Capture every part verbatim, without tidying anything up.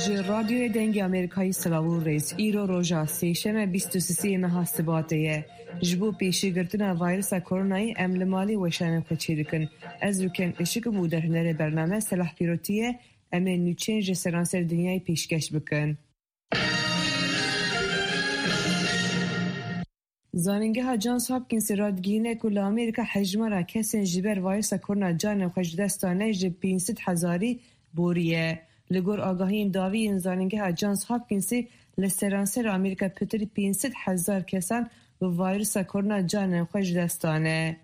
Ji Radyoyê Dengê Amerîkayê silav û rêz. Îro roja sêşeme bîst û sisê meha Sibatê ye. Ji bo pêşîgirtina vayrusa koronayê em li malê weşanên xwe çêdikin. Ez Rûken Işik im û derhênerê bername Selah Pîrotî ye. Em ê nûçeyên ji seranser dinyayê pêşkeş bikin. Zanîngeha Johns Hopkinsê radigihîne ku li Amerîka hejmara kesên ji ber vayrusa korona canên xwe ji dest dane ji pênc sed hezarî boriye. Li gor agahiyên dawî yên Zanîngeha Johns Hopkinsê, li seranser Amerîka pitirî pênc sed hezar kesan bi vayrusa korona canên xwe ji dest dane.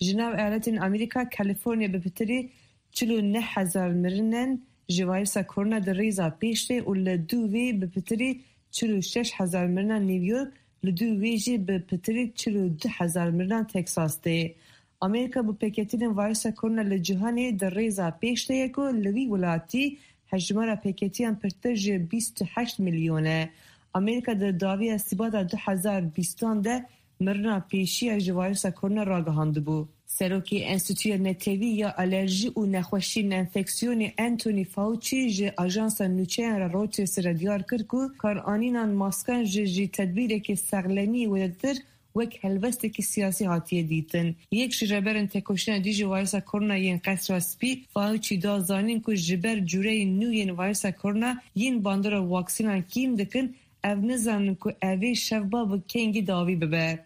Ji nav eyaletên Amerîka, California bi pitirî çil û neh hezar mirinen ji vayrusa korona di rêza pêş de û li dû vê bi pitirî çil û şeş hezar mirina New York, li dû wê jî bi pitirî çil û du hezar mirina Texas de. Amerîka bi pêketînên vayrusa korona li cîhanê di rêza pêş de ye ku li vî welatî hejmara pêketiyan pirtir ji bîst û heşt milyon e. Amerîka di dawiya Sibata du hezar bîstan de mirina pêşiya ji vayrusa korona ragihandibû. Serokê Enstîtuya Netewî ya Alerjî û Nexweşiyên Enfeksiyonê Anthony Fauci ji ajansa nûçeyan re Reutersê re diyar kir ku karanînan maskan ji jî tedbîrekî sexlemî wêdetir wek helwestekî siyasî hatiye dîtin. Yek ji rêberên têkoşîna dijî vayrusa korona yên Qesra Spî, Fauci da zanîn ku ji ber cureyên nû yên vayrusa korona yên bandora waksînan kêm dikin, ev nizanin ku evê şevba bi kengî dawî bibe.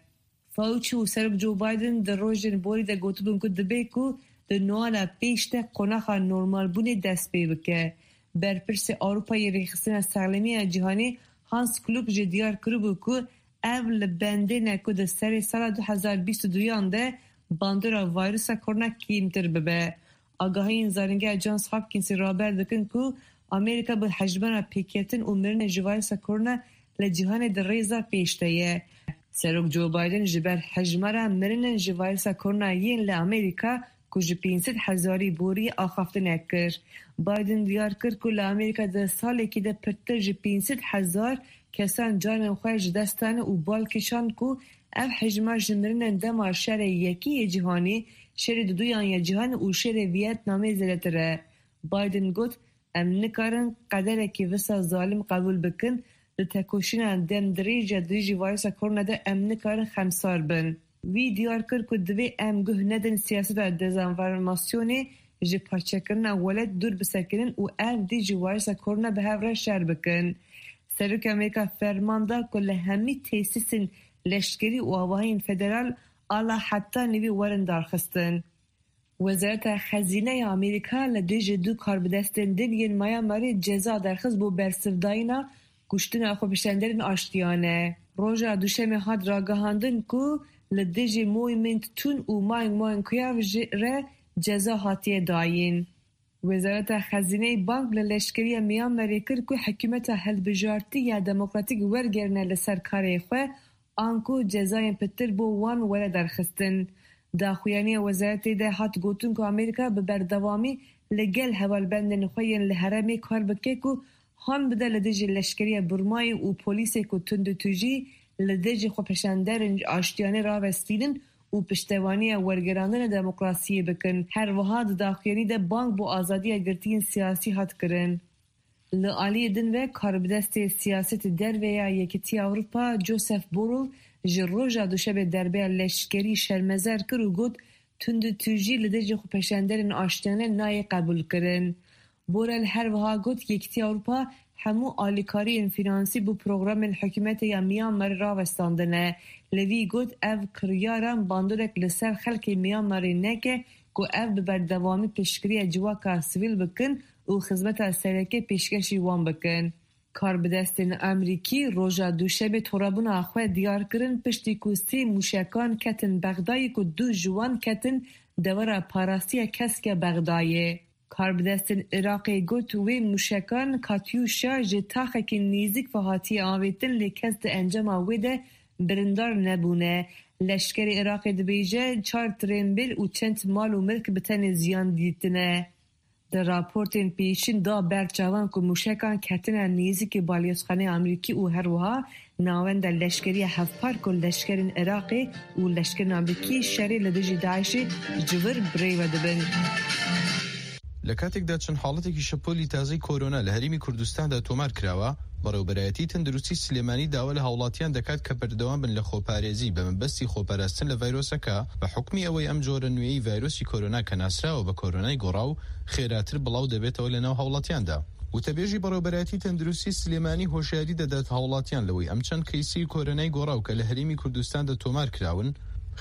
Fauci û Serok Joe Biden di rojên borî de gotibûn ku dibe ku di Noela pêş de qonaxa normalbûnê dest pê bike. Berpirsê Ewropayê Rêxistina Sexlemî ya Cîhanê Hans Kluck jî diyar kiribû ku ev li bendê ne ku di serê sala du hezar bîst û duyan de bandora vayrusa korona kêmtir bibe. Agahiyên Zanîngeha Johns Hopkinsê raber dikin ku Amerîka bi hejmara pêketin û mirinên ji vayrusa korona li cîhanê di rêza pêş de ye. Serok Joe Biden ji ber hejmara mirinên ji vayrusa korona yên li Amerîka ku ji pênc sed hezarî borî axaftinek kir. Biden diyar kir ku li Amerîka di salekî de pirtir ji pênc sed hezar kesan canên xwe ji dest dane û bal kişand ku ev hejmar ji mirinên dema şerê yekî yê cîhanî, şerê duduyan ya cîhanê û şerê Vietnamê zêdetir e. Biden got, Em nikarin qederekî visa zalim qebûl bikin. Di tekoşîna demdirêj ya dijî vayrusa korona de em nikarin xemsar bin. Wî diyar kir ku divê em guh nedin siyaseta dezenformasyonê, ji parçekirina welat dûr bisekinin û ev dî ji vayrusa korona bi hev re şer bikin. Serokê Amerîka ferman da ku li hemî tesîsên leşkerî û avahiyên federal ala heta nivî werin darxistin. Wezareta Xezîne ya Amerîka li dijî du karbidestên din yên Myanmarê ceza derxist bo bersivdayîna kuştina xwepêşanderên aştiyane. Roja Duşemê hat ragihandin ku li dijî Moy Mint Tun û Maing Maing Kuyav jî re ceza hatiye dayîn. Wezareta Xezîneyê bang li leşkeriya Myanmarê kir ku hikûmeta hilbijartî ya demokratîk wergerine li ser karê xwe, anku cezayên pitir bo wan were derxistin. Daxuyaniya wezaretê de hat gotin ku Amerîka bi berdewamî li gel hevalbendên xwe yên li herêmê kar bike ku han bide li dijî leşkeriya Burmayê û polîsê ku tundûtûjî li dijî xwepêşanderên aştiyane ravestînin û piştevaniya wergerandina demokrasiyê bikin. Her wiha di daxuyanî de bang bo azadiya girtiyên siyasî hat kirin. Li aliyê din ve karbidestê siyasetê derve ya Yekîtiya Ewropa Josep Borrell ji roja duşemê derbeya leşkerî şermezer kir û got, tundûtûjî li dijî xwepêşanderên aştiyane nayê qebûlkirin. Borrell her wiha got, Yekîtiya Ewropa hemû alîkariyên fînansî bo programên hikûmetê ya Myanmarê rawestandine. Li vî got, ev kiryaran bandorek li ser xelkê Myanmarê neke ku ev bi berdewamî piştgiriya civaka sivîl bikin û xizmeta sereke pêşkêşî wan bikin. Karbidestên Amerîkî roja Duşemê torabûna xwe diyar kirin, piştî ku sê mûşekan ketin Bexdayê ku du ji wan ketin dewera parastiya kesk ya Bexdayê. Karbidestên Iraqê got, wê mûşekan Katyûşa ji taxekî nêzîk ve hatiye avêtin, lê kes di encama wê de birîndar nebûne. Leşkerê Iraqê dibêje, çar tirênbêl û çend mal û milk bi tenê ziyan dîtine. Di raportên pêşîn da ber çavan ku mûşekan ketine nêzîkî balyozxaneyê Amerîkî û her wiha navenda leşkeriya hevpar ku leşkerên Iraqê û leşkerên Amerîkî şerê li dijî DAIŞê ji vir bi rê ve dibin. لە کاتێکدا چەند حاڵەتێکی شەپۆلی تازەی کۆرۆنا لە هەرێمی کوردستاندا تۆمار کراوە، بەڕێوەبەرایەتی تەندروستی سلێمانی داوا لە هاوڵاتیان دەکات کە بەردەوام بن لە خۆپارێزی بە مەبەستی خۆپاراستن لە ڤایرۆسەکە، بە حکمی ئەوەی ئەم جۆرە نوێی ڤایرۆسی کۆرۆنا کە ناسراوە بە کۆرۆنای گۆڕاو، خێراتر بڵاو دەبێتەوە لە ناو هاوڵاتیاندا. وتەبێژی بەڕێوەبەرایەتی تەندروستی سلێمانی هۆشیاری دەدات هاوڵاتیان لەوەی ئەم چەند کەیسی کۆرۆنای گۆڕاو کە لە هەرێمی کوردستاندا تۆمار کراون،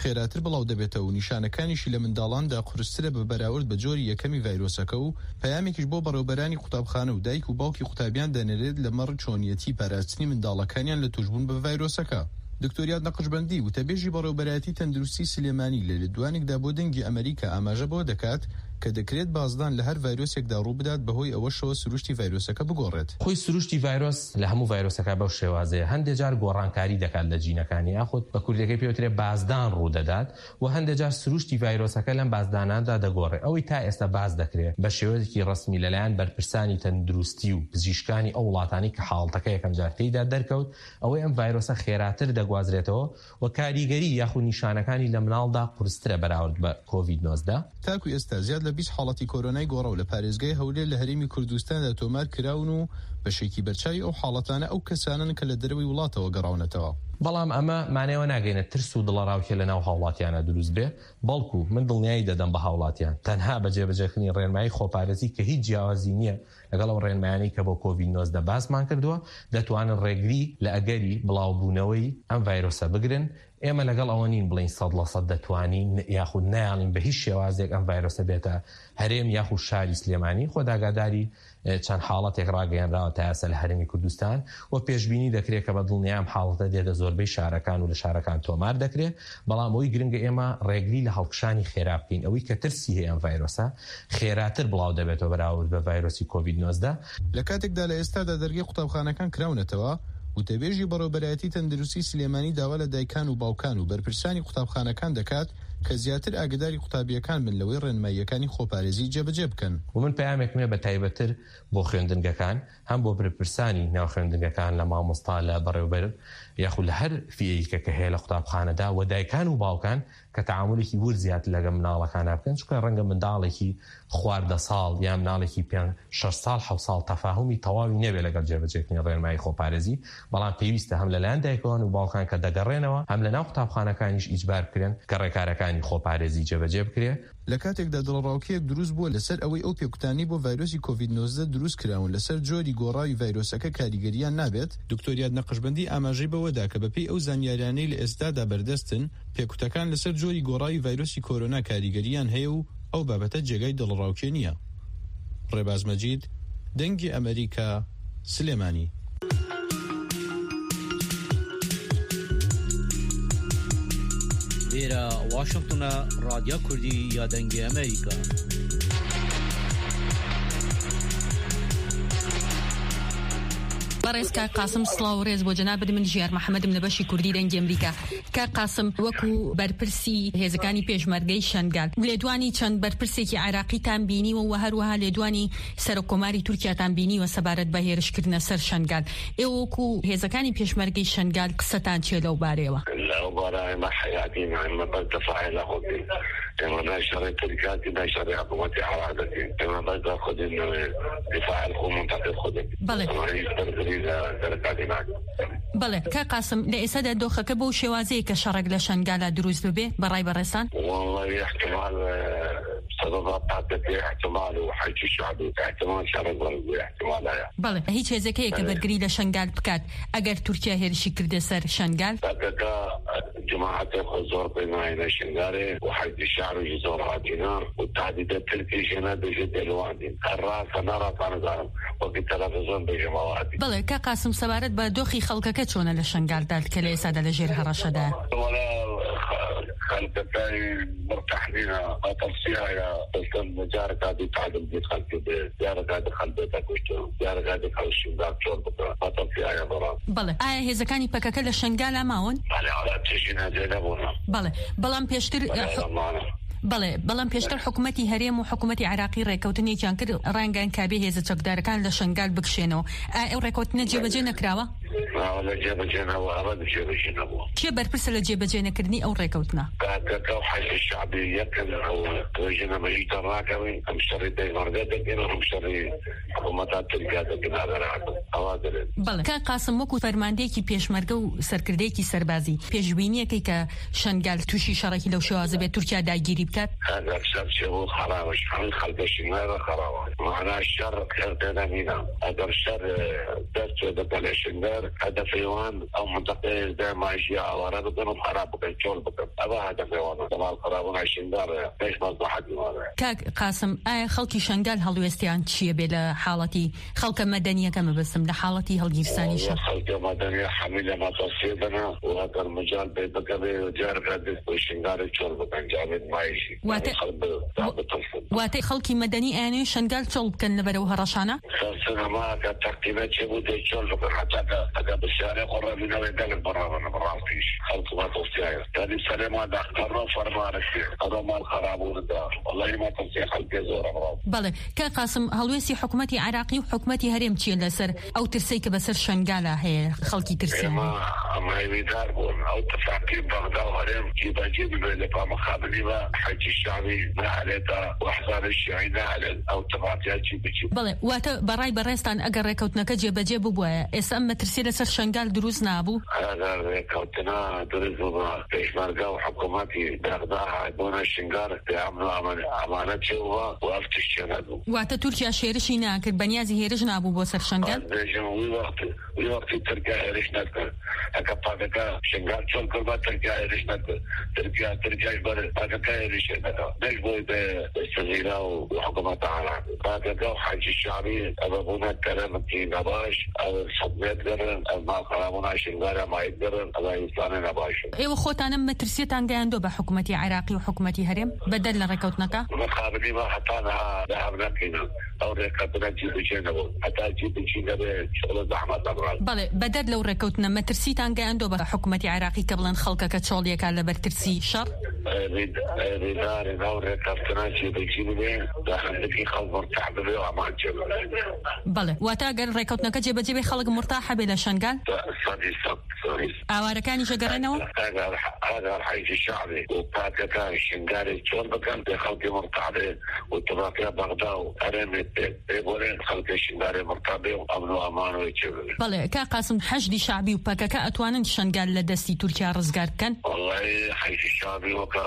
خێراتر بڵاو دەبێتەوە و نیشانەکانیشی لە منداڵاندا قورسترە بە بەراورد بە جۆری یەکەمی ڤایرۆسەکە و پەیامێکیش بۆ بەڕێوەبەرانی قوتابخانە و دایک و باوکی قوتابیان دەنێرێت لەمەڕ چۆنیەتی پاراستنی منداڵەکانیان لە توشبوون بە ڤایرۆسەکە. دکتۆر یاد نەقشبەندی، وتەبێژی بەڕێوەبەرایەتی تەندروستی سلێمانی، لە لێدوانێکدا بۆ دەنگی ئەمریکا ئاماژە بۆ دەکات کە دەکرێت بازدان لە هەر ڤایرۆسێکدا ڕوو بدات، بەهۆی ئەوەشەوە سروشتی ڤایرۆسەکە بگۆڕێت. خۆی سروشتی ڤایرۆس لە هەموو ڤایرۆسەکە بەو شێوازەیە، هەندێک جار گۆڕانکاری دەکات لە جینەکانی، یاخود بە کوردیەکەی پێوترێ بازدان ڕوو دەدات و هەندێک جار سروشتی ڤایرۆسەکە لەم بازداناندا دەگۆڕێ. ئەوەی تا ئێستا باز دەکرێت بە شێوەیەکی ڕسمی لەلایەن بەرپرسانی تەندروستی و پزیشکانی ئەو وڵاتانی کە حاڵەتەکە یەکەم جار تێیدا دەرکەوت، ئەوەی ئەم ڤایرۆسە خێراتر دەگوازرێتەوە و کاریگەری یاخود نیشانەکانی لە مناڵدا قورسترە بەراورد بە کۆڤید نۆزدە. تاکو ئێستا زیاد لە بیست حاڵەتی کۆرۆنای گۆڕاو لە پارێزگای هەولێر لە هەرێمی کوردستاندا تۆمار کراون و بەشێکی بەرچاوی ئەو حاڵەتانە ئەو کەسانن کە لە دەرەوەی وڵاتەوە گەڕاونەتەوە. بەڵام ئەمە مانەوە ناگەینە ترس و دڵەڕاوکێ لە ناو هاوڵاتیانە دروست بێ، بەڵکو من دڵنیایی دەدەم بە هاوڵاتیان، تەنها بە جێبەجێکردنی ڕێنمایی خۆپارێزی کە هیچ جیاوازی نییە لەگەڵ ئەو ڕێنمایانەی کە بۆ کۆڤید نۆزدە باسمان کردووە، دەتوانن ڕێگری لە ئەگەری بڵاوبوونەوەی ئەم ڤایرۆسە بگرن. ئێمە لەگەڵ ئەوە نین بڵین سەد لە سەد دەتوانین یاخود نەیانین بە هیچ شێوازێک ئەم ڤایرۆسە بێتە هەرێم یاخود شاری سلێمانی. خۆ داگاداری، ئێ، چەند حاڵەتێک ڕاگەیەنراوە تا ئێستا لە هەرێمی کوردستان و پێشبینی دەکرێت کە بە دڵنیام حاڵەتە دێتە زۆربەی شارەکان و لە شارەکان تۆمار دەکرێت. بەڵام ئەوەی گرنگە ئێمە ڕێگری لە هەڵکشانی خێرا بکەین. ئەوەی کە ترسی هەیە ئەم ڤایرۆسە خێراتر بڵاو دەبێتەوە بەراورد بە ڤایرۆسی کۆڤید نۆزدە. لە کاتێکدا لە ئێستادا دەرگەی قوتابخانەکان کراونەتەوە، وتەبێژی بەڕێوەبەرایەتی تەندروستی سلێمانی داوا لە دایکان و باوکان و بەرپرسانی قوتابخانەکان دەکات کە زیاتر ئاگداری قوتابیەکان بن لەوەی ڕێنماییەکانی خۆپارێزی جێبەجێ بکەن. و من پەیامێکم هەیە بە تایبەتتر بۆ خوێندنگەکان، هەم بۆ بەرپرسانی ناو خوێندنگەکان، لە مامۆستا، لە بەڕێوەبەر یاخود لە هەر فیەیەکە کە هەیە لە قوتابخانەدا، و دایکان و باوکان کە تەعامولێکی ورد زیاتر لەگەڵ مناڵەکانە بکەن، چونکە ڕەنگە منداڵێکی خواردە ساڵ یا مناڵێکی پێنج، شەش ساڵ، حەوت ساڵ تەفاهمی تەواوی نەبێ لەگەڵ جێبەجێکردنی ڕێنمایی خۆپارێزی، بەڵام پێویستە هەم لەلایەن دایکان و باوکان کە دەگەڕێنەوە، هەم لە ناو قوتابخانەکانیش ئیجبار بکرێن کە ڕێکارەکانی خۆپارێزی جێبەجێ بکرێ. لە کاتێکدا دڵەڕاوکێیەک دروست بووە لەسەر ئەوەی ئەو پێکوتانی بۆ ڤایرۆسی کۆڤید نۆزدە دروست کراون لەسەر جۆری گۆڕاوی ڤایرۆسەکە کاریگەریان نابێت، دکتۆر یاد نەقشبەندی ئاماژەی بەوەدا کە بەپێی ئەو زانیاریانەی لە ئێستادا بەردەستن، پێکوتەکان لەسەر جۆری گۆڕاوی ڤایرۆسی کۆرۆنا کاریگەریان هەیە و ئەو بابەتە جێگای دڵەڕاوکێ نییە. ڕێباز مەجید، دەنگی ئەمریکا، سلێمانی. Vêre Washington e, Radya Kurdî ya Dengê Amerîka. بەڕێز کاک قاسم، سڵاو و ڕێز بۆ جەنابت. من ژیار محەممەدم لە بەشی کوردی دەنگی ئەمریکا. کاک قاسم، وەکو بەرپرسی هێزەکانی پێشمەرگەی شەنگال، لێدوانی چەند بەرپرسێکی عێراقیتان بینیوە و هەروەها لێدوانی سەرۆکۆماری تورکیاتان بینیوە سەبارەت بە هێرشکردنە سەر شەنگال. ئێوە وەکو هێزەکانی پێشمەرگەی شەنگال قسەتان چیە لەو بارەیەوە؟ لەو بارە ئێمە حەیاتین، ئێمە بەس دەفاعی لە خۆتین. ئێمە نای شەڕی تورکیاتین، نای شەڕی حکوومەتی عێراقەتین. ئێمە بەس لە خۆتین، دفاع لە خۆ منتەقد خۆتین. بەڵێ. ئێمە هیچ بەرگری لە دەرەکانی ناکەین. بەڵێ، کاک قاسم، لە ئێستادا دۆخەکە بەو شێوازەیە کە شەڕێک لە شەنگالا دروست ببێ، بەڕای بەڕێزان؟ والله احتمال، سبب پاکەتی احتمال و حەج شعبی احتمال شەڕێک بەرز بێ، احتمال هەیە. بەڵێ، هیچ هێزەکەیە کە بەرگری لە شەنگال بکات ئەگەر تورکیا هێرشی کردە سەر شەنگال؟ پاکەکە جماعەتی خۆ زۆر پێ ناینە شنگارێ و حەج شعبی زۆر هاتینە و تهدیدە ترکی ژنە بێژێ دەلوان دین. هەر ڕاستە ناڕاستە نزانم. وەکی تەلەڤیزیۆن بێژم ئەوە هەبی. بەڵێ، کاک قاسم، سەبارەت بە دۆخی خەڵکەکە چۆنە لە شەنگالدا کە لە ئێستادا لە ژێر هەڕەشەدایە؟ وەڵا، خە-، خەڵکەکەی بڕ تەحمینە، مەترسیایە، دەستم جارێکا دی تعدم دی خەڵکی بێ، جارێکا دی خەڵبێتە کوشتن، جارێکا دی خەڵشی داکتۆر بکە، مەترسیایە بەڵام. بەڵێ، ئایا هێزەکانی پەکەکە لە شەنگالا ماون؟ بەڵێ، ئەڵا تێژی نەجێ نەبوونە. بەڵێ، بەڵام پێشتر، بەڵێ، ئەمانە. بەڵێ، بەڵام پێشتر حکوومەتی هەرێم و حکوومەتی عێراقی ڕێکەوتنێکیان کرد، ڕایانگەیاند کابێ هێزە چەکدارەکان لە شەنگال بکشێنەوە. ئا ئەو ڕێکەوتنە جێبەجێ نەکراوە؟ Nawe li cêbicê nebû, eve di cêbicê nebû. Kê berpirs e li cêbicênekirînî ew rêkewtina? P K K û Heşdî Şabî yekin ew rêjîna me jî dernakevin, em şerî pêşmerge dikin, em şerî hikûmeta Tirkiye dikin, eve rahat in. Eva dirin. Belê. Kak Qasim, wekû fermandeyekî pêşmerge û serkirdeyekî serbazî, pêşbîniyekê ke Şengal tûşî şerekî lew şewazî be, Tirkiye dagîrî biket? Eger şer çêbû xerab e, ji hemî xelkê Şingalê re xerab e. Mana şer her têde nîne. Eger şer, e, dest pê bike li Şingal, hedefê wan ew mintiqeyê de majiya aware bikin û xerab bikin, çol bikin. Ev e hedefê wan. Demal xerabûna Şingal e, pêş mezlehetî wan e. Kak Qasim, aya xelkî Şengal helwêstiyan çi ye bê li haletî Xelke medeniyeke mebestim li haletî hilgîrsanî şer. Xelke medeniye hemî li metirsiyê de ne û heger mical pê bikeve, careke din ku Şingalê çol bikin, carê din mayî jî. Wate-, yanî xelk bi, da bitirsin. Wate xelkî medenî ênê Şengal çol bikin li ber ew hereşana? Ser sinema ke teqîne çêbû dê çol bikin, heta ke, heta bi şarê xwe re vîna wê gelek birevin, bi rastî jî. Xelk metirsiyaye. Yanî serê me de qero fermanek tê, qero mal xerabûn de. Wellahî metirsiya xelkê zor e, bi rastî. Belê. Kak Qasim, helwêstî hikûmetî Iraqî û hikûmetî herêm çi ye li ser ew tirsê ke bi ser Şengala heye, xelkî tirsiyan? Êma, em hêvîdar bûn. Ew tifaqî Bexda û herêm cîbecî bibe, lê pa mixabinî ve Hecî Şabî nehelêta û ehzabê şîî nehelên ew tifaqiya cî bicî. Belê, wate berayê berêztan eger rêkewtineke cêbecê bibûye, êsa em metirsiyê li ser Şengal dirûst nabû? Eger rêkewtina dirûst bibe, pêşmerge û hikûmetî Bexda hebûna Şingal, dê emn û eman-, emanet çêbibe û ev tişt çênebû. Wate Tirkiye şêrişî nakir, benyazî hêriş nabû bo ser Şengal? Ez bêjim, wî wextî, wî wextî Tirkiye hêriş nekir. Heke P K K Şingal çol kiriba, Tirkiye hêriş nekir. Tirkiye, Tirkiye ji ber P K K hêrişê neka. Ne ji bo be Sivîla û hikûmeta Iraqê. P K K û Hecî Şabî, ev bûne teremekî nebaş, ev xizmet kirin, ev mal xerabûna Şingalê mayî kirin, ev însanê nebaş in. Êwe xotan em metirsiyêtan geyandiyo be hikûmetî Iraqî û hikûmetî herêm? Bedel li rêkewtineka? Mixabinî me heta niha li hev nekirîne. Ew rêkewtine cî bi cî nebû. Heta cî bi cî nebe, şixulê zehmet e, bi rastî. Belê, bedel lew rêkewtine metirsîtan geyandiyo be hikûmetî Iraqî ke bilan xelkeke çoliyeka li ber tirsî şer? Ê, rî-, ê, rîdarê nav rêkeftina cî bi cî bibe, da hindikî xelk murteh bibe û eman çêbibe. Belê. Wate eger rêkewtineke cêbecê bê, xelk murteh hebe li Şengal? Sedî sed, sedî sed. Awarekanî jî gerênewe? Eger, eger Heyşî Şabî û P K K Şingalê çol bikin, dê xelkê murteh be û tifaqiya Bexda û herêmê tê. Ê borê xelkê Şingalê murteh be û emn û eman wê çêbibe. Belê, Kak Qasim, Heşdî Şabî û P K K etwanin Şengal li destî Tirkiye rizgar bikin? Wellahî, Heyşî Şabî weke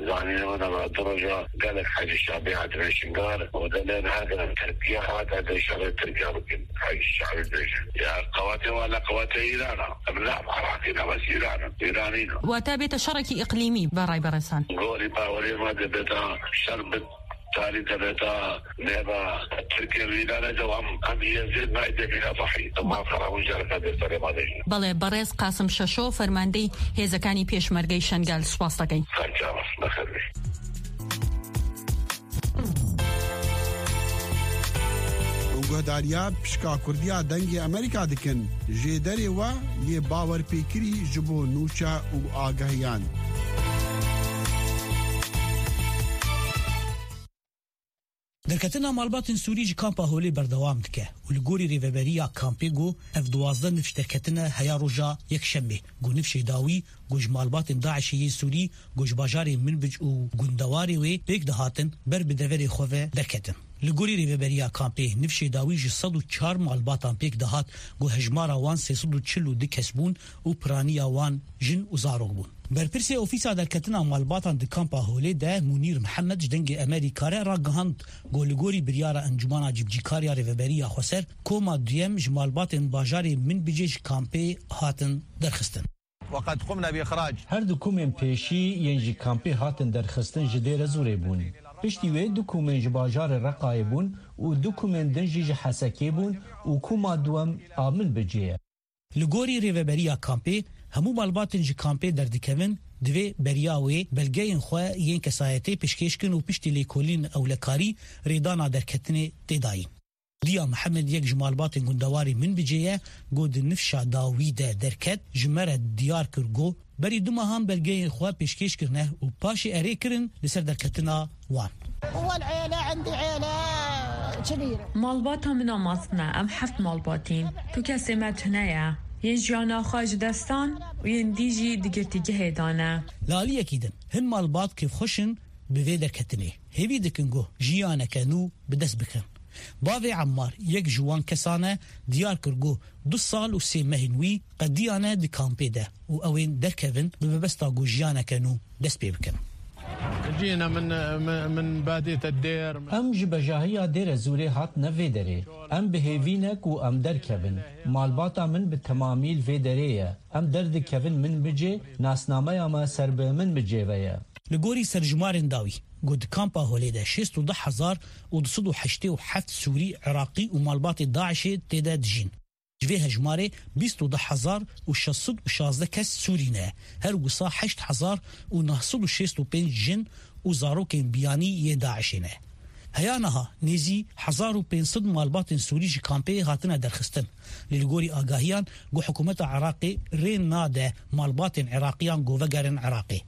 zanînê min e, du roja gelek Hecî Şabî hatine Şingal û dilê niha kirin Tirkiye hate dê şerê Tirkiye bikin. Hecî Şabî dibêje. Ya qewatê wan li qewatê Îran e. Em ne Iraqî ne, bes Îran in. Îranî ne. Wate bête şerekî îqlîmî, berayê berêztan? Gorî bawerê me dê bête şer bi tarî de bête nêba Tirkiye û Îranê de, em, em Yezîd nayê dê bîne zehî. Em mal xerabûn careke dê serê me de jî. Belê, berêz Qasim Şeşo, fermandeyî hêzekaniya pêşmergeyê Şengal, spas dikin. Ser çavan, bi xêr bê. Guhdariya pişka Kurdiya Dengê Amerîka dikin. Jêderê we yê bawerpêkirî ji bo nûçe û agahiyan. Derketina malbatên Sûrî ji kampa Holê berdewam dike û li gorî rêveberiya kampê got, ev duwazdeh nifş derketine heya roja Yekşemê, ku nifşê dawî ku ji malbatên DAIŞê yên Sûrî ku ji bajarê Minbic û gundewarê wê pêk dihatin, ber bi deverê xwe ve derketin. Li gorî rêveberiya kampê, nifşê dawî ji sed û çar malbatan pêk dihat, ku hejmara wan sê sed û çil û du kes bûn û piraniya wan jin û zarok bûn. Berpirsê Ofîsa Derketina Malbatan di kampa Holê de Munîr Mihemed ji Dengê Amerîka re ragihand, ku li gorî biryara Encûmana Cîbicîkariya Rêveberiya Xweser, koma duyem ji malbatên bajarê Minbicê ji kampê hatin derxistin. وقد قمنا بإخراج. Her du komên pêşî yên ji kampê hatin derxistin ji Dêrezûrê bûn. Piştî wê du komên ji bajarê Reqayê bûn û du komên din jî ji Hesekê bûn û koma duwem a Minbicê ye. Li gorî rêveberiya kampê, hemû malbatên ji kampê derdikevin, divê beriya wê belgeyên xwe yên kesayetê pêşkêş kin û piştî lêkolîn ewlekarî rêdana derketinê tê dayîn. Diya Mihemed, yek ji malbatên gundewarê Minbicê ye, got, di nifşa dawî de derket, ji me re diyar kir, got, berî du mehan belgeyên xwe pêşkêş kirine û paşê erê kirin li ser derketina wan. والعيلة عندي عيلة كبيرة. Malbata min a mezin e, em heft malbatîn. Tu kesê me tune ye. Yên jiyana xwe ji dest dan û yên dî jî di girtîgehê de ne. Li aliyekî din, hin malbat kêfxweş in bi vê derketinê. Hêvî dikin ku jiyaneke nû bi dest bikin. Bavê Emmar yek ji wan kesan e, diyar kir ku du sal û sê mehên wî qediyane di kampê de û ew ên derkevin bi mebesta ku jiyaneke nû dest pê bikin. جينا من من من بادية الدير. Em ji bejahiya Dêrezûrê hatine vê derê. Em bi hêvî ne ku em derkevin. Malbata min bi temamî li vê derê ye. Em derdikevin min bicê, nasnameya me ser bi min bicê ve ye. Li gorî serjimarên dawî, ku di kampa Holê de şêst û du hezar û du sed û heştê û heft Sûrî, Iraqî û malbatê DAIŞê tê de dijîn. Ji vê hejmarê bîst û du hezar û şeş sed û şazdeh kes Sûrî ne, her wisa heşt hezar û neh sed û şêst û pênc jin û zarokên biyanî yên DAIŞê ne. Heya niha nêzî hezar û pênc sed malbatên Sûrî ji kampê hatine derxistin. Lê li gorî agahiyan ku hikûmeta Iraqê rê nade malbatên Iraqiyan ku vegerin Iraqê.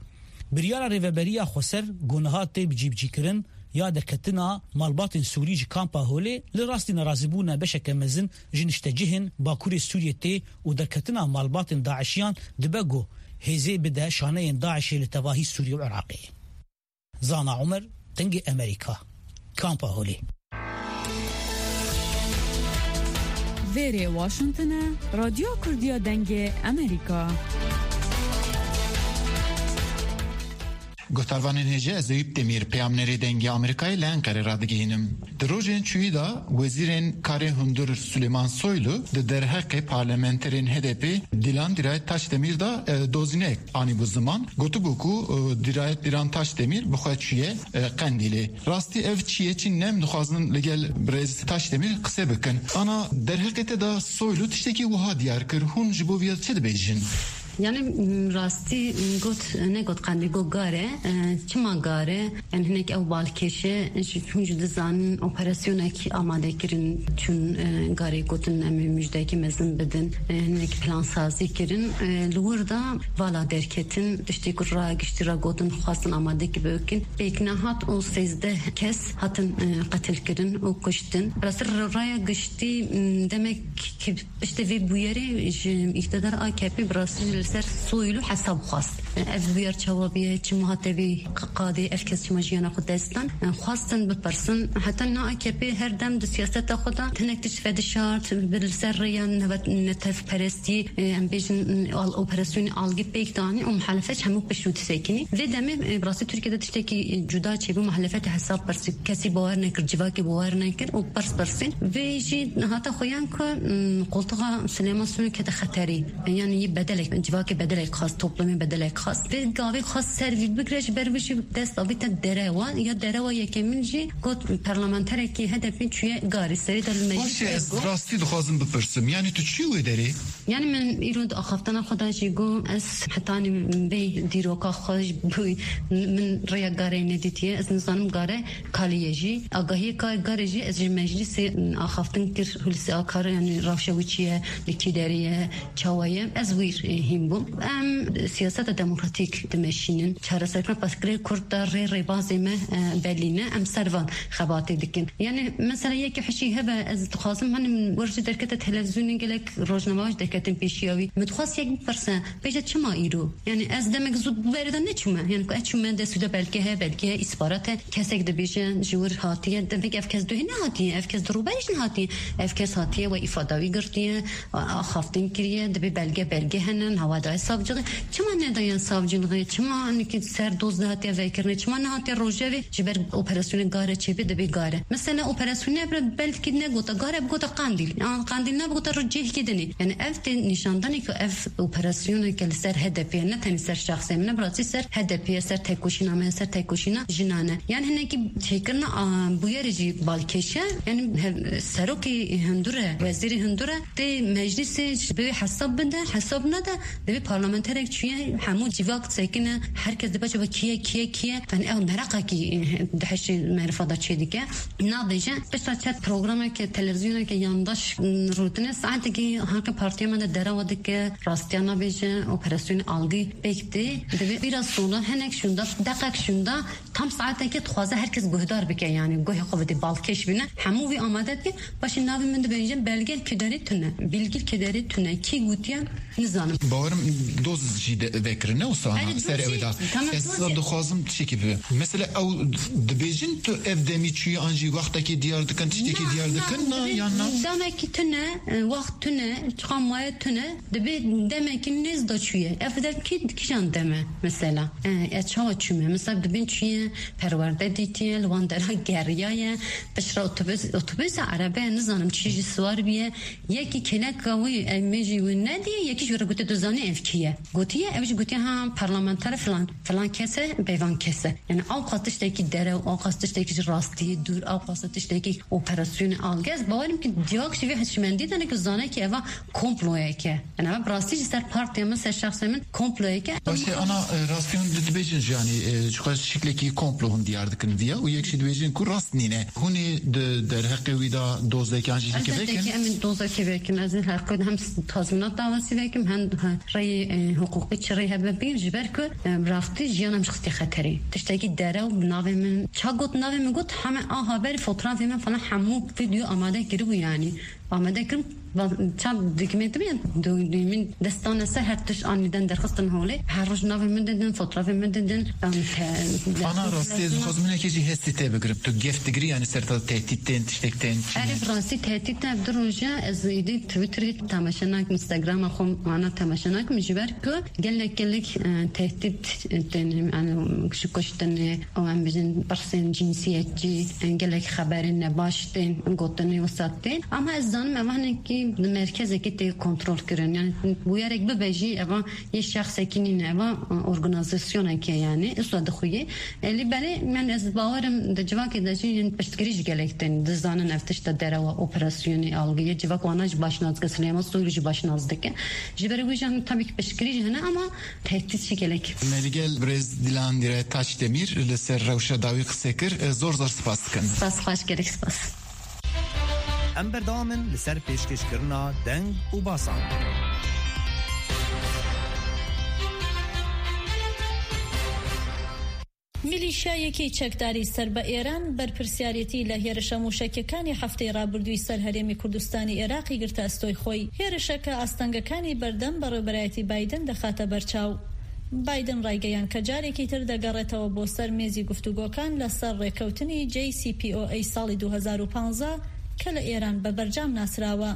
Biryara Rêveberiya Xweser ku niha tê bicîbicîkirin ya derketina malbatên Sûrî ji kampa Holê li rastî nerazîbûna beşeke mezin ji niştecihên Bakurê Sûriyê tê û derketina malbatên DAIŞiyan dibe ku hêzê bide şaneyên DAIŞê li tevahî Sûriyê û Iraqê. Zana Umer, Dengê Emerîka, Kampa Holê. Vêrê Washington e, Radyo Kurdiya Dengê Emerîka. Guhdarvanên hêja, ez Eyüp Demir, peyamnerê Dengê Amerîkayê li Enqerê radigihînim. Di rojên çûyî de Wezîrên Karê Hundir Süleyman Soylu di derheqê parlamenterên H D P Dilan Dirayet Taşdemir de, e, dozînek anîbû ziman. Gotibû ku, e, Dirayet Dilan Taşdemir bi xwe çûye, e, Qendîlê. Rastî ev çi ye çi ne, em dixwazin li gel birêz Taşdemir qise bikin. Ana derheqê te de Soylu tiştekî wiha diyar kir, hûn ji bo vê çi dibêjin? Yani, m, rastî, m, got, negot Qendîl, got Gare. E, çima Gare? Yani hinek ew balkêş e, ji, hûn jî dizanin operasyonekî amade kirin, çûn, e, Garê gotin em ê mujdekî mezin bidin. E, hinek plansazî kirin. E, li wir de vala derketin, tiştê ku raya giştî re gotin, xwestin amadekî bikin. Pêk nehat û sêzdeh kes hatin, e, qetil kirin û kuştin. Rastî raya giştî, m, demek ki Piştî vê bûyerê ji îktidar A K P bi rastî li ser Soylu hesab xwest. Ev bûyer çawa bûye, çima hate vê qadê, ev kes çima jiyana xwe dest dan? Xwestin bipirsin. Heta niha A K P her dem di siyaseta xwe de hinek tişt vedişart, bi li ser rêya neve-, netewperestî, em bêjin, al-, operasyonê algî pêk danî û muhalefet ji hemû pişt û disekînî. Vê demê, e, bi rastî Tirkiye de tiştekî cuda çêbû, muhalefet hesab pirsî, kesî bawer nekir, civakê bawer nekir û pirs pirsîn. Vê jî hata xuyan ku, m, qoltuxa Silêman Soylu kete xeterî. Yani yî bedelek, civakê bedelek xwest, toplumê bedelek xwest. Vê gavê xwest ser vî bigre, ji ber vê jî dest avîte derewa. Ya derewa yekemîn jî got parlamenterekî H D P çûye Garê serê de li meclîs. Baş e, ez got, rastî dixwazim bipirsim. Yani tu çûyî wê derê? Yani min îro di axaftina xwe de jî got, ez hetanî vê dîroka xwe ji bo min rêya Garê nedîtiye. Ez nizanim Gare kalî ye jî. Agahiyê ka Garê jî ez ji meclîsê axaftin kir, Hulusi Akar, yani rewşa wî çi ye, li kî derê ye, çawa ye, ez wî, e, hîn bûm. Em siyaseta demokratîk dimeşînin. Çareserkirina pirsgirêk Kurd de rê rêbazê me, e, belî ne. Em ser van xebatê dikin. Yani mesela yekî hişî hebe, ez dixwazim, hani min wer jî derkete televîzyonê, gelek rojnamevan jî derketin pêşiya wî. Min dixwest yek bipirse, bêje çima îro? Yani ez demek zû berê de neçûme. Yani ku ez çûme, destû de belge heye, belge heye, îsparat e. Kesek dibêje ji wir hatiye, demek ev kes duhê nehatiye, ev kes di rûberê jî nehatiye. Ev kes hatiye, we îfada wî girtiye, a-, axaftin kiriye, dibê belge, belge hene, niha daye savciliğê. Çima nedaye savciliğê? Çima nikî ser doz nehatiye vekirinê? Çima nehatiye rojevê? Ji ber operasyonê Gare çêbê, dibê Gare. Mesela operasyonê bire belkî negota Gare, bigota Qandîl. An Qandîl nebigota rû cihkî dinê. Yani ev tê nîşandanê ku ev operasyoneke li ser H D P ye, ne tenê ser şexsê min, ne bi rastî ser H D P ye, ser tekoşîna me, ser tekoşîna jinan e. Yani hinekî çêkirina, a, bûyerê jî balkêş e. Yani he-, serokê hundir e, wezîrê hundir e, tê meclîsê ji bo hesab bide, hesab nede, divê parlamenterek çûye, hemû civak disekine, her kes dibe çaba kî ye, kî ye, kî ye. Yani ew meraqekî, e, di hişê merifa de çêdike. Nabêje, pişta çet programeke, televîzyoneke yandaş, m, rûtine, saetekî hanke partiya De derewa dike, rastiya nabêje, operasyonê algî pêk tê. Divê biraz sonra hinek şûnda, deqek şûnda, tam saetekê dixwaze her kes guhdar bike, yanî guhê xwe bidê, balkêş bîne. Hemû vî amade dike, paşê navê min dibêje, belgel kederê tune. Bilgil kederê tune. Kî gotiye, nizanim. Bawerim doz jî de vekirine wisa Erê, ser doz ew jî, da. Tamam, Ez doz jî. dixwazim tiştekî bibe. Mesela ew dibêjin tu ev demî çûyî an jî wextekî diyar dikin, tiştekî Na, diyar na, dikin, na, dibê-, yan na? Demekî tune, e, wext tune, çiqa maye tune, dibê demekî nêz da çûye. Ev dem kî, kîjan dem e mesela? E, e, çawa çûme? Mesela dibên çûye, perwerde dîtiye, li wan dera geriyaye, piştre otobus, otobus, erebe, nizanim çi jî siwar biye. Yekî kêleka wî, em, mêjî wî nediye, yekî jî wî re gotiye, tu zanî ev kî ye? Gotiye, ev jî gotiye, ha, parlamenter filan, filan kes e, bêvan kes e. Yani, ew qas tiştekî derew, ew qas tiştekî ji rastiyê dûr, ew qas tiştekî operasyonê algez. Bawerim ki diyok jî vê hişmendî de ne ki zane ki eva komployek e. Yani, eva bi rastî ji ser partiya min, ser şexsê min komployek e. Başê ana, e, rastiyan di-, dibêjin jî, yani, e, ji xwe şiklekî komplo hûn diyar dikin viya û yek jî dibêjin ku rast nîne. Hûn ê di derheqê wî de dozeke an jî Ez heke derdekî vekin? em ê dozeke vekin. Ez ê her ku hem tazminat dawasî vekim, hem, he, reyê, e, hiqûqî çi rê hebe bîn, ji ber ku, e, rastî jiyan em ji xistê xeterê. Tiştekî derew bi navê min, ça got navê min got, heme a haber, fotrafê min falan hemû video amade kiribû yani. Amade kirin, va-, ça dokumentê min, do-, do-, min destane ser her tişt anîden derxistin holê. Her roj navê min didin, fotrafê min didin. Em te-, Ana, rastî ez dixwazim hinekê jî hestê te bigirim. Tu gef digirî, yani ser te tehdît tên, tiştek tên, çi Erê, ne? bi rastî tehdît ne, du roja ez êdî Twitterê temaşe nakim, Instagrama xwe ana temaşe nakim, ji ber ku gelek, gelek, e, tehdît, e, tên, yani, ji kuştinê, û em bijin pirsên cinsiyetçî, e, gelek xeberên nebaş tên, gotinê wisa tên. Ama ez zanim ev hinekî di merkezekê tê kontrol kirin. Yani, bûyerek bibe jî, eva yê şexsekî nîne, eva, e, organîzasyonekê yani, wisa dixuye. E, lê belê, min ez bawerim di civakê de jî yên piştgirî ji gelek tên. Dizanin ev tişta derewa operasyonê algiyê civak wana jî baş nas dike, Silêman Soylu jî baş nas dike. Ji ber wî jî, tabii ki piştgirî jî hene ama tehdît jî gelek. Me li gel birêz Dilan Dire Taçdemîr li ser rewşa dawî qise kir. E, zor zor spas dikin. Spas xweş, gelek spas. Em berdewam in li ser pêşkêşkirina deng û basan. میلیشیایەکی چەکداری سەر بە ئێران بەرپرسیارێتی لە هێرشە موشەکیەکانی هەفتەی ڕابردووی سەر هەرێمی کوردستانی عێراقی گرتە ئەستۆی خۆی. هێرشەکە ئاستەنگەکانی بەردەم بەڕێوەبەرایەتی بایدن دەخاتە بەرچاو. بایدن ڕایگەیاند کە جارێکی تر دەگەڕێتەوە بۆ سەر مێزی گفتوگۆکان لەسەر ڕێکەوتنی جەی سی پی ئۆ ئەی ساڵی دوو هەزار و پازدە کە لە ئێران بە بەرجام ناسراوە.